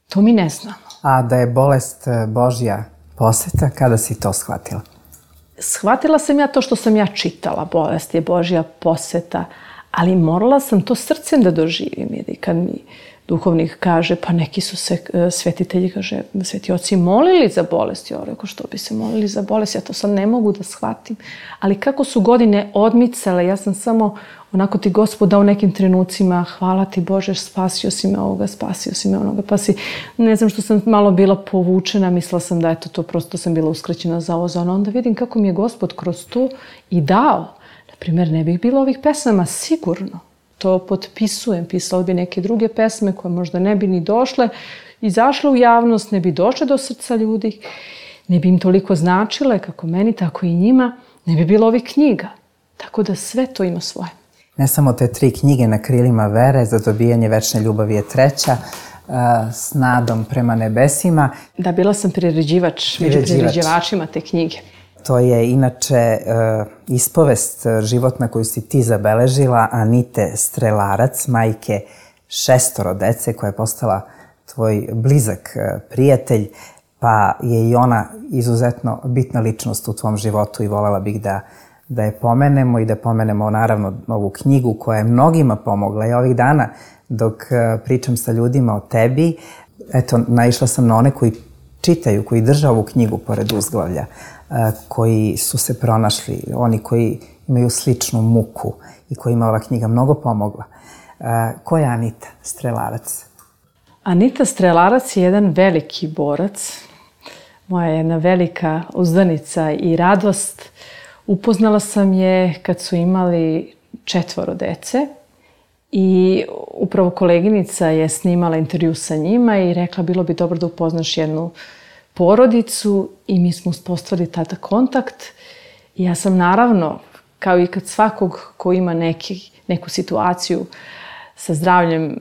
to mi ne znamo. A da je bolest Božja poseta, kada si to shvatila? Shvatila sam ja to što sam ja čitala, bolest je Božja poseta, ali morala sam to srcem da doživim. Jer kad mi duhovnik kaže, pa neki su se svetitelji, kaže, sveti oci molili za bolest. Ja rekao, što bi se molili za bolest? Ja to sad ne mogu da shvatim. Ali kako su godine odmicale, ja sam samo onako ti Gospod dao u nekim trenucima, hvala ti Bože, spasio si me ovoga, spasio si me onoga, pa si, ne znam što sam malo bila povučena, mislila sam da eto to prosto sam bila uskraćena za ovo, za ono, onda vidim kako mi je Gospod kroz to i dao. Naprimjer, ne bih bilo ovih pesama, sigurno. To potpisujem, pisala bi neke druge pesme koje možda ne bi ni došle, izašle u javnost, ne bi došle do srca ljudi, ne bi im toliko značile kako meni, tako i njima, ne bi bilo ovih knjiga. Tako da sve to ima svoje. Ne samo te 3 knjige Na krilima vere, Za dobijanje večne ljubavi je 3, S nadom prema nebesima. Da, bila sam priređivač, među priređivačima te knjige. To je inače ispovest životna koju si ti zabeležila, Anite Strelarac, majke 6 dece, koja je postala tvoj blizak prijatelj, pa je i ona izuzetno bitna ličnost u tvom životu i voljela bih da je pomenemo i da pomenemo naravno ovu knjigu koja je mnogima pomogla. I ovih dana dok pričam sa ljudima o tebi, eto, naišla sam na one koji čitaju, koji drže ovu knjigu pored uzglavlja, koji su se pronašli, oni koji imaju sličnu muku i kojima ova knjiga mnogo pomogla. Ko je Anita Strelarac? Anita Strelarac je jedan veliki borac, moja jedna velika uzdanica i radost. Upoznala sam je kad su imali 4 dece i upravo koleginica je snimala intervju sa njima i rekla bilo bi dobro da upoznaš jednu porodicu i mi smo uspostavili tada kontakt. I ja sam naravno, kao i kad svakog ko ima neku situaciju sa zdravljem,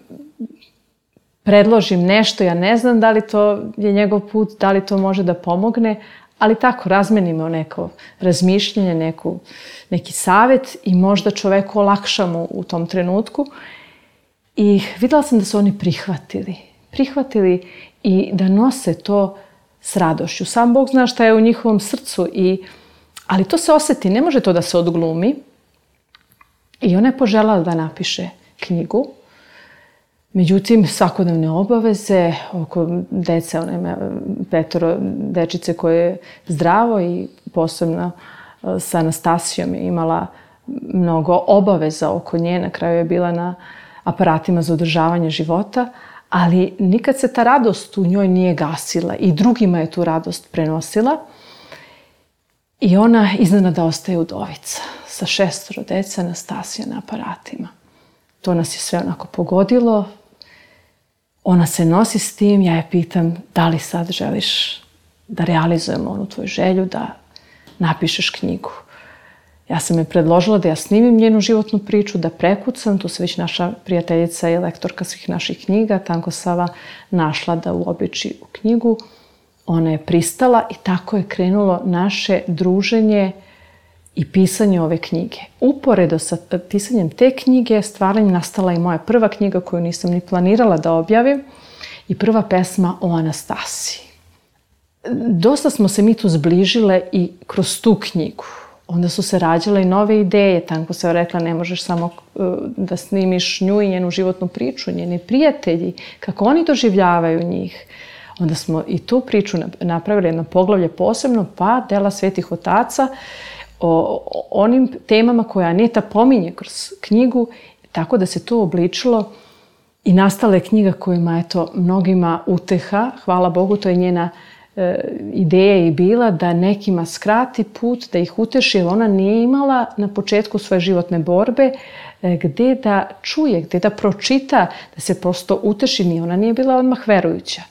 predložim nešto, ja ne znam da li to je njegov put, da li to može da pomogne, ali tako, razmenimo neko razmišljanje, neki savjet i možda čoveku olakšamo u tom trenutku. I videla sam da su oni prihvatili i da nose to s radošću. Sam Bog zna šta je u njihovom srcu, ali to se osjeti, ne može to da se odglumi. I ona je poželjela da napiše knjigu. Međutim, svakodnevne obaveze oko dece, ona ima 5 dečice koje je zdravo i posebno sa Anastasijom je imala mnogo obaveza oko nje. Na kraju je bila na aparatima za održavanje života, ali nikad se ta radost u njoj nije gasila i drugima je tu radost prenosila. I ona iznenada ostaje udovica sa 6 dece, Anastasija na aparatima. To nas je sve onako pogodilo. Ona se nosi s tim, ja je pitam da li sad želiš da realizujemo onu tvoju želju, da napišeš knjigu. Ja sam je predložila da ja snimim njenu životnu priču, da prekucam, tu se već naša prijateljica i lektorka svih naših knjiga, Tanko Sava, našla da uobliči u knjigu. Ona je pristala i tako je krenulo naše druženje i pisanje ove knjige. Uporedo sa pisanjem te knjige, stvaranjem nastala i moja prva knjiga koju nisam ni planirala da objavim i prva pesma o Anastasiji. Dosta smo se mi tu zbližile i kroz tu knjigu. Onda su se rađale i nove ideje. Tanko se rekla, ne možeš samo da snimiš nju i njenu životnu priču, njeni prijatelji, kako oni doživljavaju njih. Onda smo i tu priču napravili jedno poglavlje posebno, pa dela Svetih otaca. o onim temama koje Aneta pominje kroz knjigu, tako da se to obličilo i nastala je knjiga kojima je to mnogima uteha. Hvala Bogu, to je njena ideja i bila da nekima skrati put, da ih uteši, jer ona nije imala na početku svoje životne borbe gde da čuje, gde da pročita, da se prosto uteši. Ni ona nije bila odmah verujuća.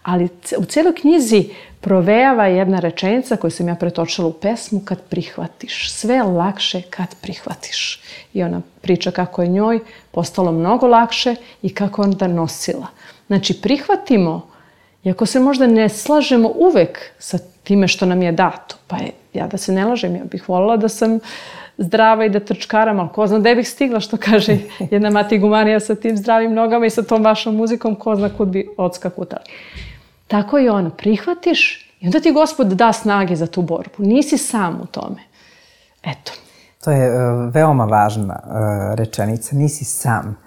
Ali u cijeloj knjizi provejava jedna rečenica koju sam ja pretočila u pesmu: kad prihvatiš. Sve je lakše kad prihvatiš. I ona priča kako je njoj postalo mnogo lakše i kako je onda nosila. Znači, prihvatimo, iako se možda ne slažemo uvek sa time što nam je dato. Pa ja da se ne lažem, ja bih voljela da sam zdrava i da trčkaram, ali ko zna gde bih stigla, što kaže jedna mati gumanija sa tim zdravim nogama i sa tom vašom muzikom, ko zna kud bi odskakutali. Tako i ono, prihvatiš i onda ti Gospod da snage za tu borbu. Nisi sam u tome. Eto. To je veoma važna rečenica. Nisi sam.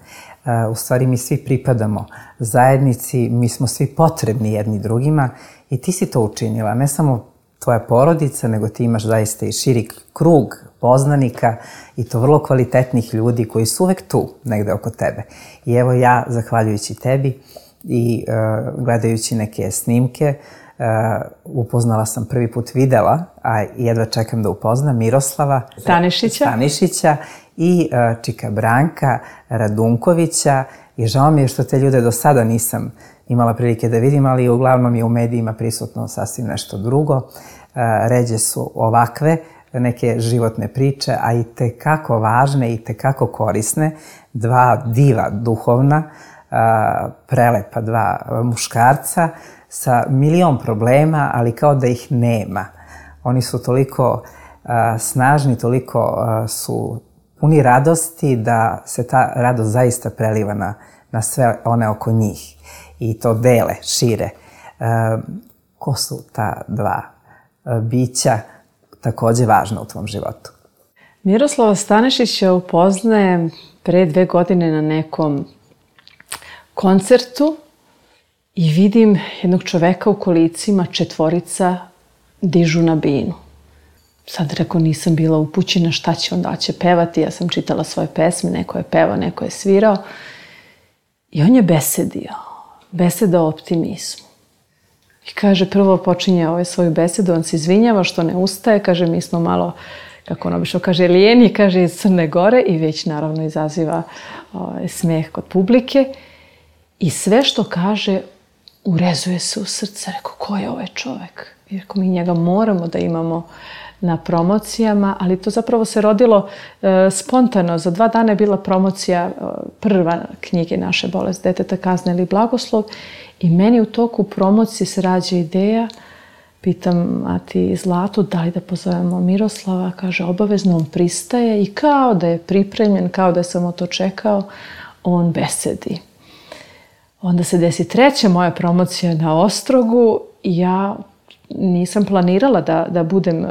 U stvari mi svi pripadamo zajednici, mi smo svi potrebni jedni drugima i ti si to učinila. Ne samo tvoja porodica, nego ti imaš zaista i širi krug poznanika i to vrlo kvalitetnih ljudi koji su uvek tu, negde oko tebe. I evo ja, zahvaljujući tebi i gledajući neke snimke, upoznala sam, prvi put videla, a jedva čekam da upoznam, Miroslava Stanišića i čika Branka Radunkovića. I žao mi je što te ljude do sada nisam imala prilike da vidim, ali uglavnom je u medijima prisutno sasvim nešto drugo. Ređe su ovakve neke životne priče, a i tekako važne i tekako korisne. Dva diva duhovna, prelepa dva muškarca sa milion problema, ali kao da ih nema. Oni su toliko snažni, toliko su puni radosti da se ta radost zaista preliva na sve one oko njih i to dele, šire. Ko su ta dva bića takođe važna u tvom životu? Miroslava Stanišića upoznajem pre 2 godine na nekom koncertu i vidim jednog čoveka u kolicima, 4 dižu na binu. Sad rekao, nisam bila upućena šta će onda, će pevati. Ja sam čitala svoje pesme, neko je pevao, neko je svirao. I on je besedao o optimizmu. I kaže, prvo počinje svoju besedu, on se izvinjava što ne ustaje, kaže, mi smo malo, kako on obično kaže, lijeni, kaže, iz Crne Gore i već naravno izaziva smeh kod publike. I sve što kaže, urezuje se u srce. Rekao, ko je ovaj čovek? I rekao, mi njega moramo da imamo na promocijama, ali to zapravo se rodilo spontano. Za 2 dana je bila promocija prva knjige Naše bolest deteta, kazna ili blagoslov. I meni u toku promocije se rađa ideja, pitam mati Zlatu da li da pozovemo Miroslava, kaže obavezno, on pristaje i kao da je pripremljen, kao da je samo to čekao, on besedi. Onda se desi 3. moja promocija na Ostrogu i ja nisam planirala da budem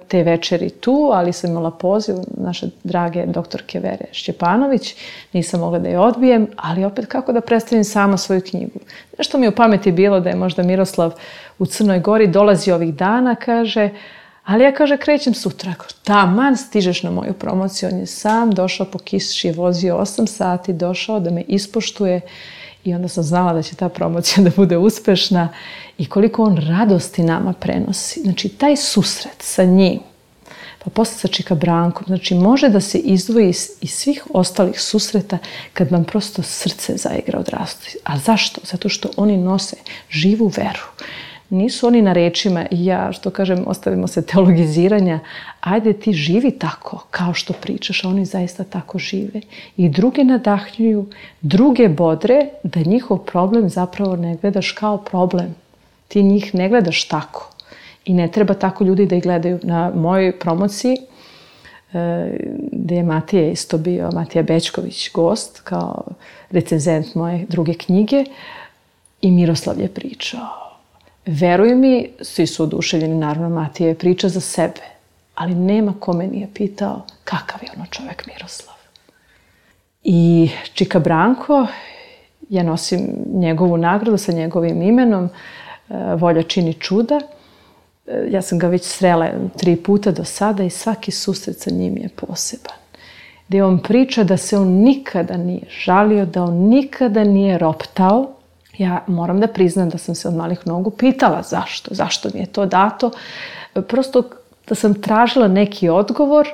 te večeri tu, ali sam imala poziv naše drage doktorke Vere Šćepanović. Nisam mogla da je odbijem, ali opet kako da predstavim sama svoju knjigu. Nešto mi je u pameti bilo da je možda Miroslav u Crnoj Gori, dolazi ovih dana, kaže, ali ja, kaže, krećem sutra. Taman stižeš na moju promociju. On je sam došao po kiši, je vozio 8 sati, došao da me ispoštuje. I onda sam znala da će ta promocija da bude uspešna i koliko on radosti nama prenosi. Znači, taj susret sa njim, pa posle sa čika Brankom, znači, može da se izdvoji iz svih ostalih susreta kad vam prosto srce zaigra od radosti. A zašto? Zato što oni nose živu veru. Nisu oni na rečima, ja, što kažem, ostavimo se teologiziranja, ajde ti živi tako kao što pričaš, a oni zaista tako žive. I druge nadahnjuju, druge bodre da njihov problem zapravo ne gledaš kao problem. Ti njih ne gledaš tako. I ne treba tako ljudi da ih gledaju. Na mojoj promociji, gde je Matija isto bio, Matija Bećković, gost, kao recenzent moje druge knjige, i Miroslav je pričao. Veruj mi, svi su oduševljeni, naravno Matija je priča za sebe, ali nema ko me nije pitao kakav je ono čovek Miroslav. I čika Branko, ja nosim njegovu nagradu sa njegovim imenom, Volja čini čuda, Ja sam ga već srela 3 puta do sada i svaki susret sa njim je poseban. Gdje on priča da se on nikada nije žalio, da on nikada nije roptao. Ja moram da priznam da sam se od malih nogu pitala zašto mi je to dato. Prosto da sam tražila neki odgovor,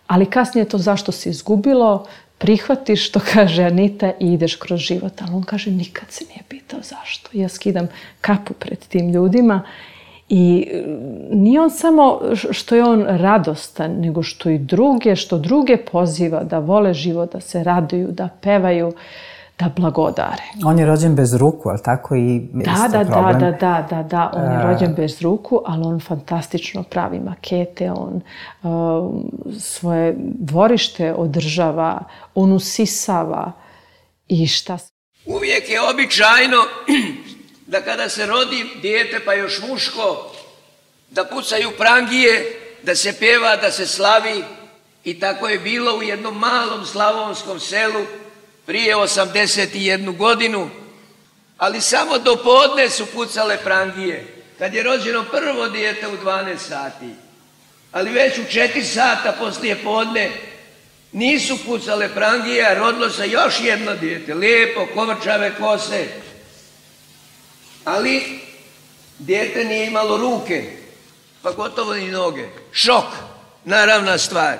ali kasnije to zašto se izgubilo, prihvatiš, što kaže Anita, i ideš kroz život. Ali on kaže, nikad se nije pitao zašto. Ja skidam kapu pred tim ljudima i nije on samo što je on radostan, nego što druge poziva da vole život, da se raduju, da pevaju, da blagodare. On je rođen bez ruku, ali tako i problem? Da. On je rođen bez ruku, ali on fantastično pravi makete, on svoje dvorište održava, on usisava i šta... Uvijek je običajno da kada se rodi dijete, pa još muško, da pucaju prangije, da se pjeva, da se slavi. I tako je bilo u jednom malom slavonskom selu prije 81 godinu, ali samo do podne su pucale prangije, kad je rođeno prvo dijete u 12 sati. Ali već u 4 sata poslije podne nisu pucale prangije, a rodilo se još jedno dijete, lijepo, kovrčave kose. Ali dijete nije imalo ruke, pa gotovo ni noge. Šok, naravna stvar.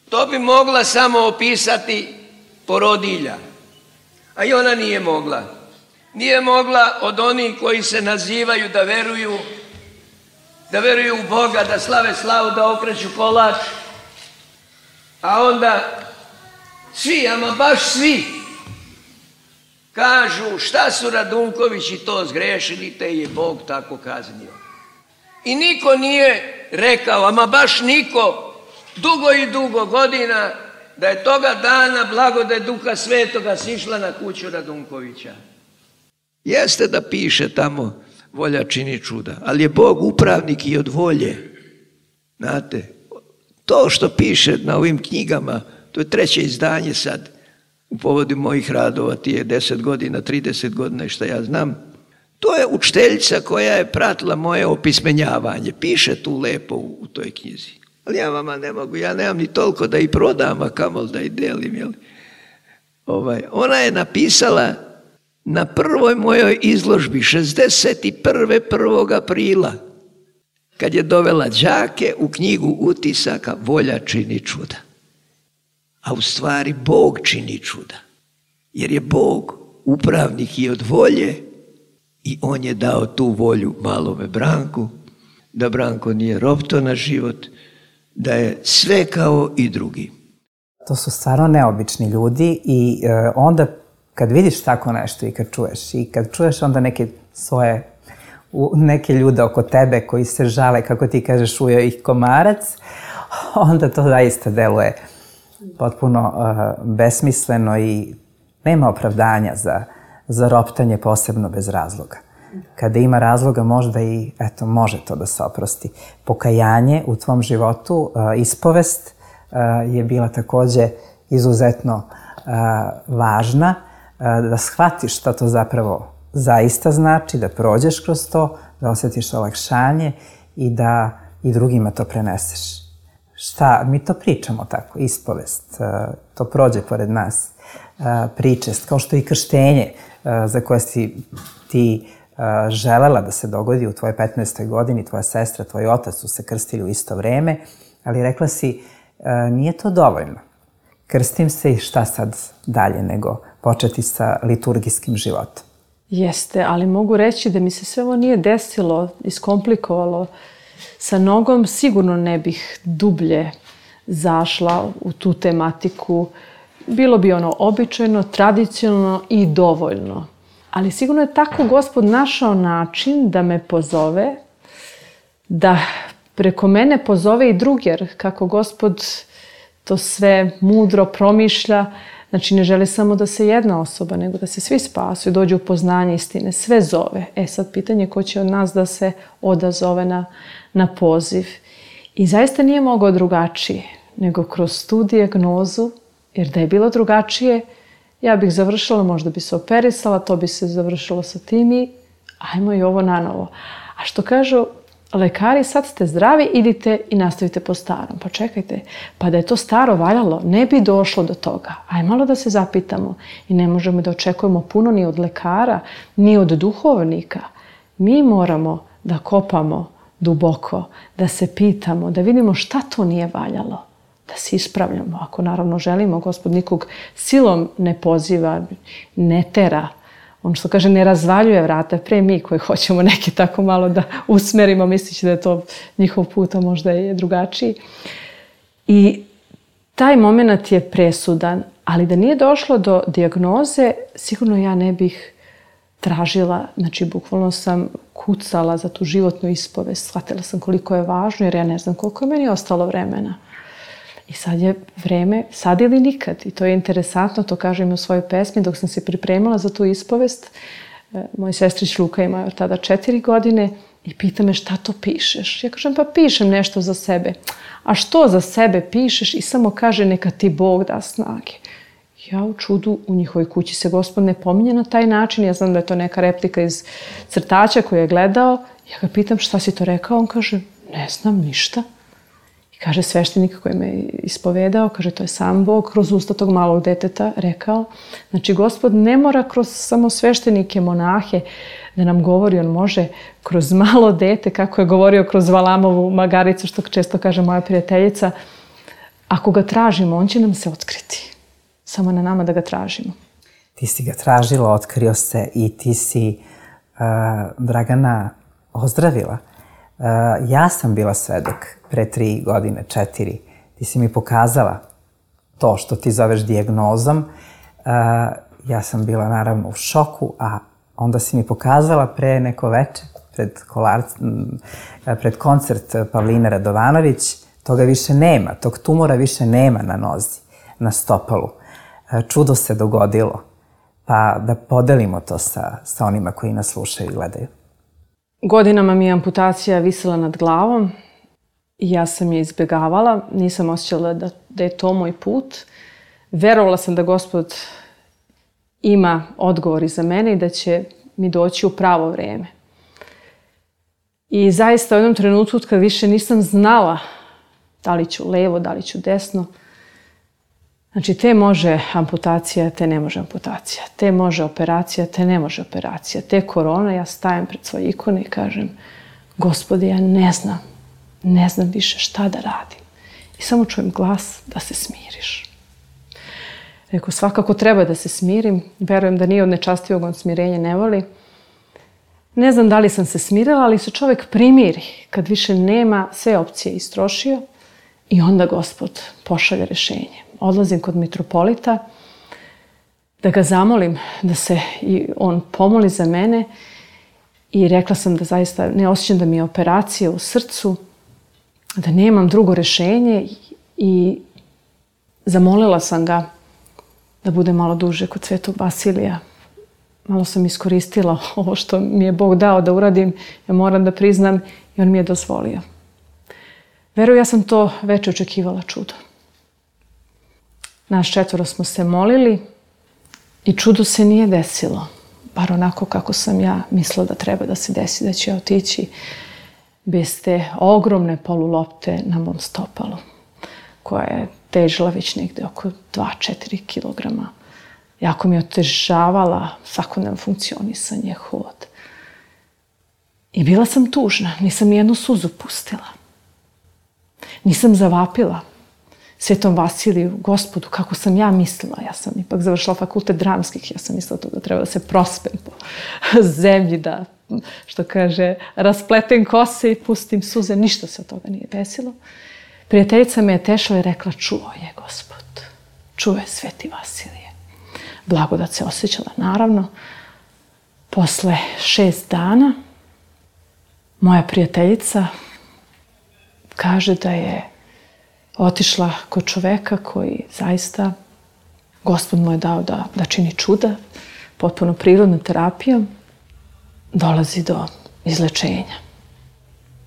To bi mogla samo opisati porodilja, a i ona nije mogla. Nije mogla od onih koji se nazivaju da veruju u Boga, da slave slavu, da okreću kolač, a onda svi, ama baš svi, kažu šta su Radunkovići to zgrešili, te je Bog tako kaznio. I niko nije rekao, ama baš niko, dugo godina, da je toga dana blagodat Duha Svetoga sišla na kuću Radunkovića. Jeste da piše tamo volja čini čuda, ali je Bog upravnik i od volje. Znate, to što piše na ovim knjigama, to je 3. izdanje sad, u povodu mojih radova, ti je 10 godina, 30 godina i šta ja znam. To je učiteljica koja je pratila moje opismenjavanje. Piše tu lepo u toj knjizi. Ali ja vama ne mogu, ja nemam ni toliko da i prodam, a kamoli da i delim. Jel? Ona je napisala na prvoj mojoj izložbi 61. 1. aprila, kad je dovela đake u knjigu utisaka Volja čini čuda. A u stvari Bog čini čuda. Jer je Bog upravnik i od volje i on je dao tu volju malome Branku, da Branko nije ropto na život, da je sve kao i drugi. To su stvarno neobični ljudi i onda kad vidiš tako nešto i kad čuješ onda neke ljude oko tebe koji se žale, kako ti kažeš, ujeo ih komarac, onda to zaista deluje potpuno besmisleno i nema opravdanja za roptanje, posebno bez razloga. Kada ima razloga možda i, može to da se oprosti. Pokajanje u tvom životu, ispovest je bila takođe izuzetno važna, da shvatiš šta to zapravo zaista znači, da prođeš kroz to, da osjetiš olakšanje i da i drugima to preneseš. Mi to pričamo tako, ispovest, to prođe pored nas, pričest, kao što i krštenje za koje si ti želela da se dogodi u tvojoj 15. godini, tvoja sestra, tvoj otac su se krstili u isto vreme, ali rekla si, nije to dovoljno. Krstim se i šta sad dalje nego početi sa liturgijskim životom. Jeste, ali mogu reći da mi se sve ovo nije desilo, iskomplikovalo. Sa nogom sigurno ne bih dublje zašla u tu tematiku. Bilo bi ono običajno, tradicionalno i dovoljno. Ali sigurno je tako Gospod našao način da me pozove, da preko mene pozove i drugi, jer kako Gospod to sve mudro promišlja, znači ne želi samo da se jedna osoba, nego da se svi spasu i dođu u poznanje istine, sve zove. Sad pitanje ko će od nas da se odazove na poziv. I zaista nije mogao drugačije, nego kroz tu dijagnozu, jer da je bilo drugačije, ja bih završila, možda bi se operisala, to bi se završilo sa tim i ajmo i ovo nanovo. A što kažu, lekari, sad ste zdravi, idite i nastavite po starom. Pa čekajte, pa da je to staro valjalo, ne bi došlo do toga. Aj malo da se zapitamo i ne možemo da očekujemo puno ni od lekara, ni od duhovnika. Mi moramo da kopamo duboko, da se pitamo, da vidimo šta to nije valjalo, da se ispravljamo. Ako naravno želimo, Gospod nikog silom ne poziva, ne tera. On što kaže, ne razvaljuje vrata, pre mi koji hoćemo neki tako malo da usmerimo, mislići da je to njihov put, a možda je drugačiji. I taj moment je presudan, ali da nije došlo do dijagnoze, sigurno ja ne bih tražila, znači bukvalno sam kucala za tu životnu ispovest, shvatila sam koliko je važno, jer ja ne znam koliko je meni ostalo vremena. I sad je vreme, sad ili nikad. I to je interesantno, to kažem u svojoj pesmi, dok sam se pripremala za tu ispovest. Moj sestrić Luka ima tada 4 godine i pita me šta to pišeš. Ja kažem, pa pišem nešto za sebe. A što za sebe pišeš? I samo kaže, neka ti Bog da snage. Ja u čudu, u njihovoj kući se Gospod ne pominje na taj način. Ja znam da je to neka replika iz crtača koju je gledao. Ja ga pitam, šta si to rekao? On kaže, ne znam ništa. I kaže sveštenik koji me ispovedao, kaže, to je sam Bog kroz usta tog malog deteta rekao. Znači, Gospod ne mora kroz samo sveštenike, monahe da nam govori, on može kroz malo dete, kako je govorio kroz Valamovu magaricu, što često kaže moja prijateljica. Ako ga tražimo, on će nam se otkriti. Samo na nama da ga tražimo. Ti si ga tražila, otkrio se i ti si Dragana ozdravila. Ja sam bila svedok pre 3 godine, 4. Ti si mi pokazala to što ti zoveš dijagnozom. Ja sam bila naravno u šoku, a onda si mi pokazala pre neko večer, pred koncert Pavline Radovanović, toga više nema, tog tumora više nema na nozi, na stopalu. Čudo se dogodilo, pa da podelimo to sa onima koji nas slušaju i gledaju. Godinama mi je amputacija visela nad glavom i ja sam je izbjegavala. Nisam osjećala da je to moj put. Verovala sam da Gospod ima odgovori za mene i da će mi doći u pravo vreme. I zaista u jednom trenutku kad više nisam znala da li ću levo, da li ću desno, znači, te može amputacija, te ne može amputacija. Te može operacija, te ne može operacija. Te korona, ja stajem pred svoje ikone i kažem, Gospode, ja ne znam više šta da radim. I samo čujem glas da se smiriš. Rekao, svakako treba da se smirim. Verujem da nije od nečastivog on smirenje ne voli. Ne znam da li sam se smirila, ali se čovjek primiri kad više nema, sve opcije istrošio i onda Gospod pošalje rješenje. Odlazim kod mitropolita da ga zamolim da se i on pomoli za mene i rekla sam da zaista ne osjećam da mi je operacija u srcu, da nemam drugo rješenje i zamolila sam ga da bude malo duže kod Svetog Vasilija. Malo sam iskoristila ovo što mi je Bog dao da uradim, ja moram da priznam i on mi je dozvolio. Verujem, ja sam to već očekivala čudo. Nas 4 smo se molili i čudo se nije desilo. Bar onako kako sam ja mislila da treba da se desi, da će ja otići bez te ogromne polulopte na mom stopalu, koja je težila već negde oko 2-4 kilograma. Jako mi je otežavala svakodnevno funkcionisanje, hod. I bila sam tužna, nisam nijednu suzu pustila. Nisam zavapila Svetom Vasiliju, Gospodu, kako sam ja mislila. Ja sam ipak završila fakultet dramskih, ja sam mislila da treba da se prospem po zemlji, da, što kaže, raspletem kose i pustim suze. Ništa se od toga nije desilo. Prijateljica me je tešila i rekla, čuo je Gospod, čuo je Sveti Vasilije. Blagodat se osjećala, naravno. Posle 6 dana moja prijateljica kaže da je otišla kod čoveka koji zaista, Gospod mu je dao da čini čuda, potpuno prirodnom terapijom, dolazi do izlečenja.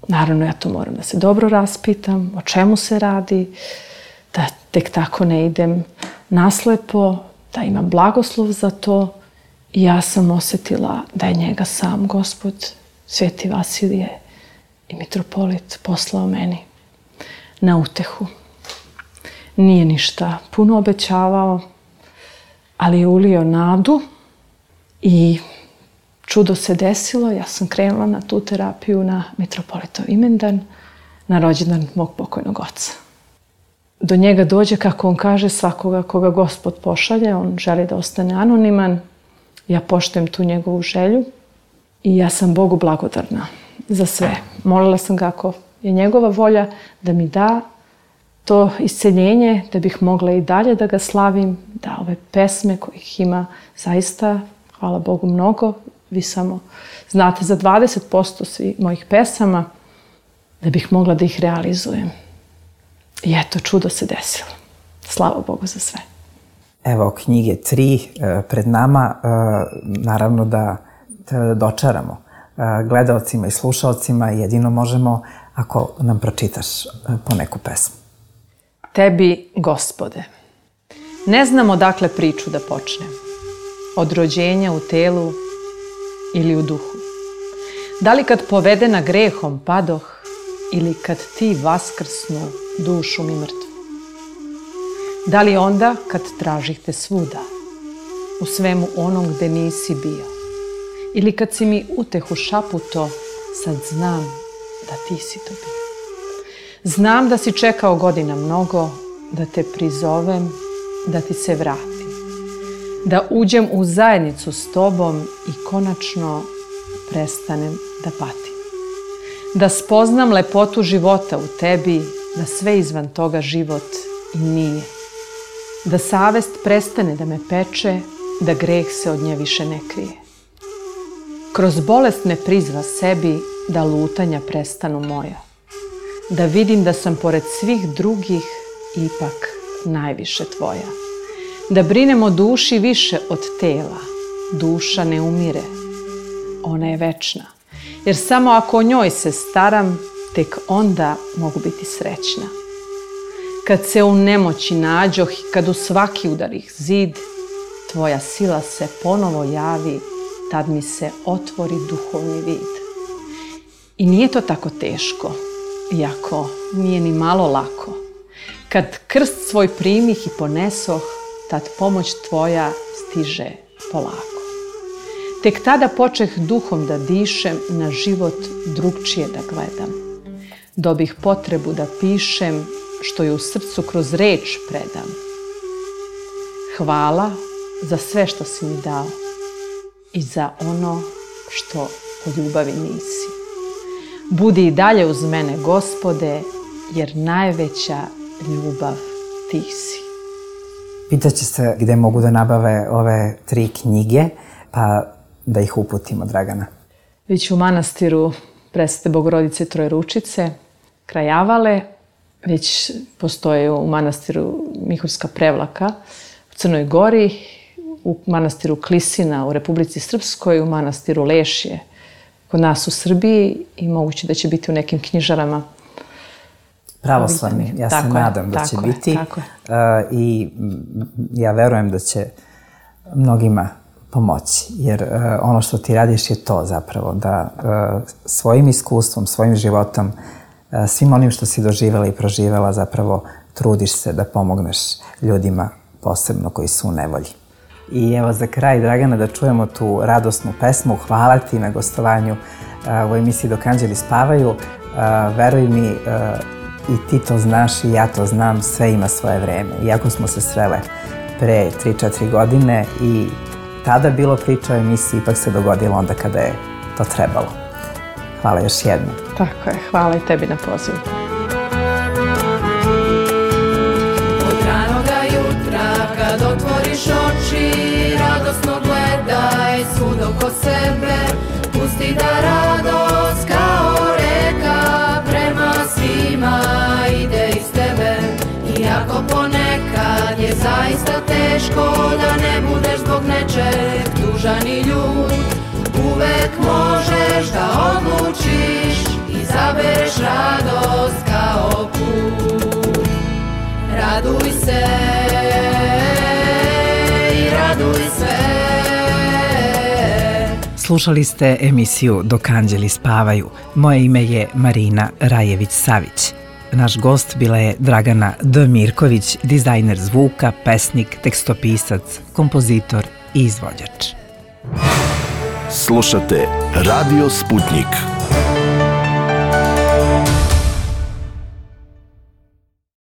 Naravno, ja to moram da se dobro raspitam, o čemu se radi, da tek tako ne idem naslepo, da imam blagoslov za to. I ja sam osjetila da je njega sam Gospod, Sveti Vasilije, i mitropolit poslao meni na utehu. Nije ništa puno obećavao, ali je ulio nadu i čudo se desilo. Ja sam krenula na tu terapiju na mitropolitov imendan, na rođendan mog pokojnog oca. Do njega dođe, kako on kaže, svakoga koga Gospod pošalje. On želi da ostane anoniman. Ja poštujem tu njegovu želju i ja sam Bogu blagodarna za sve. Molila sam ga, ako je njegova volja, da mi da to isceljenje, da bih mogla i dalje da ga slavim, da ove pesme kojih ima zaista, hvala Bogu, mnogo. Vi samo znate za 20% svih mojih pesama, da bih mogla da ih realizujem. I eto, čudo se desilo. Slava Bogu za sve. Evo, knjige 3 pred nama, naravno da treba da dočaramo gledaocima i slušaocima, jedino možemo ako nam pročitaš po neku pesmu. Tebi, Gospode, ne znam odakle priču da počnem. Od rođenja u telu ili u duhu. Da li kad povedena grehom padoh ili kad ti vaskrsnu dušu mi mrtvu? Da li onda kad tražih te svuda, u svemu onom gde nisi bio? Ili kad si mi utehu šaputo, sad znam da ti si to bio. Znam da si čekao godina mnogo, da te prizovem, da ti se vratim. Da uđem u zajednicu s tobom i konačno prestanem da patim. Da spoznam lepotu života u tebi, da sve izvan toga život i nije. Da savest prestane da me peče, da greh se od nje više ne krije. Kroz bolest me prizva sebi, da lutanja prestanu moja. Da vidim da sam pored svih drugih ipak najviše tvoja. Da brinem o duši više od tela. Duša ne umire, ona je večna. Jer samo ako o njoj se staram, tek onda mogu biti srećna. Kad se u nemoći nađoh i kad u svaki udarih zid, tvoja sila se ponovo javi, tad mi se otvori duhovni vid. I nije to tako teško, iako nije ni malo lako. Kad krst svoj primih i ponesoh, tad pomoć tvoja stiže polako. Tek tada počeh duhom da dišem, na život drugčije da gledam. Dobih potrebu da pišem, što je u srcu kroz reč predam. Hvala za sve što si mi dao i za ono što po ljubavi nisi. Budi i dalje uz mene, Gospode, jer najveća ljubav ti si. Pitaće se gde mogu da nabave ove 3 knjige, pa da ih uputimo, Dragana. Već u manastiru Presvete Bogorodice Trojeručice, kraj Avale, već postoje u manastiru Miholjska Prevlaka u Crnoj Gori, u manastiru Klisina u Republici Srpskoj, u manastiru Lešje kod nas u Srbiji i moguće da će biti u nekim knjižarama. Pravoslavni, ja se nadam da će biti. I ja verujem da će mnogima pomoći, jer ono što ti radiš je to zapravo, da svojim iskustvom, svojim životom, svim onim što si doživjela i proživjela, zapravo trudiš se da pomogneš ljudima, posebno koji su u nevolji. I evo za kraj, Dragana, da čujemo tu radosnu pesmu. Hvala ti na gostovanju u emisiji Dok anđeli spavaju. Veruj mi, i ti to znaš i ja to znam, sve ima svoje vreme. Iako smo se srele pre 3-4 godine i tada bilo priča o emisiji, ipak se dogodilo onda kada je to trebalo. Hvala još jednom. Tako je, hvala i tebi na pozivu. Od ranoga jutra kad otvoriš oči, radosno gledaj svud oko sebe, pusti da radost kao reka prema svima ide iz tebe. Iako ponekad je zaista teško da ne budeš zbog nečeg tužan i ljut, uvek možeš da odlučiš, izabereš radost kao put. Raduj se i raduj se, Slušali ste emisiju Dok anđeli spavaju. Moje ime je Marina Rajević-Savić. Naš gost bila je Dragana D. Mirković, dizajner zvuka, pesnik, tekstopisac, kompozitor i izvođač. Slušate Radio Sputnik.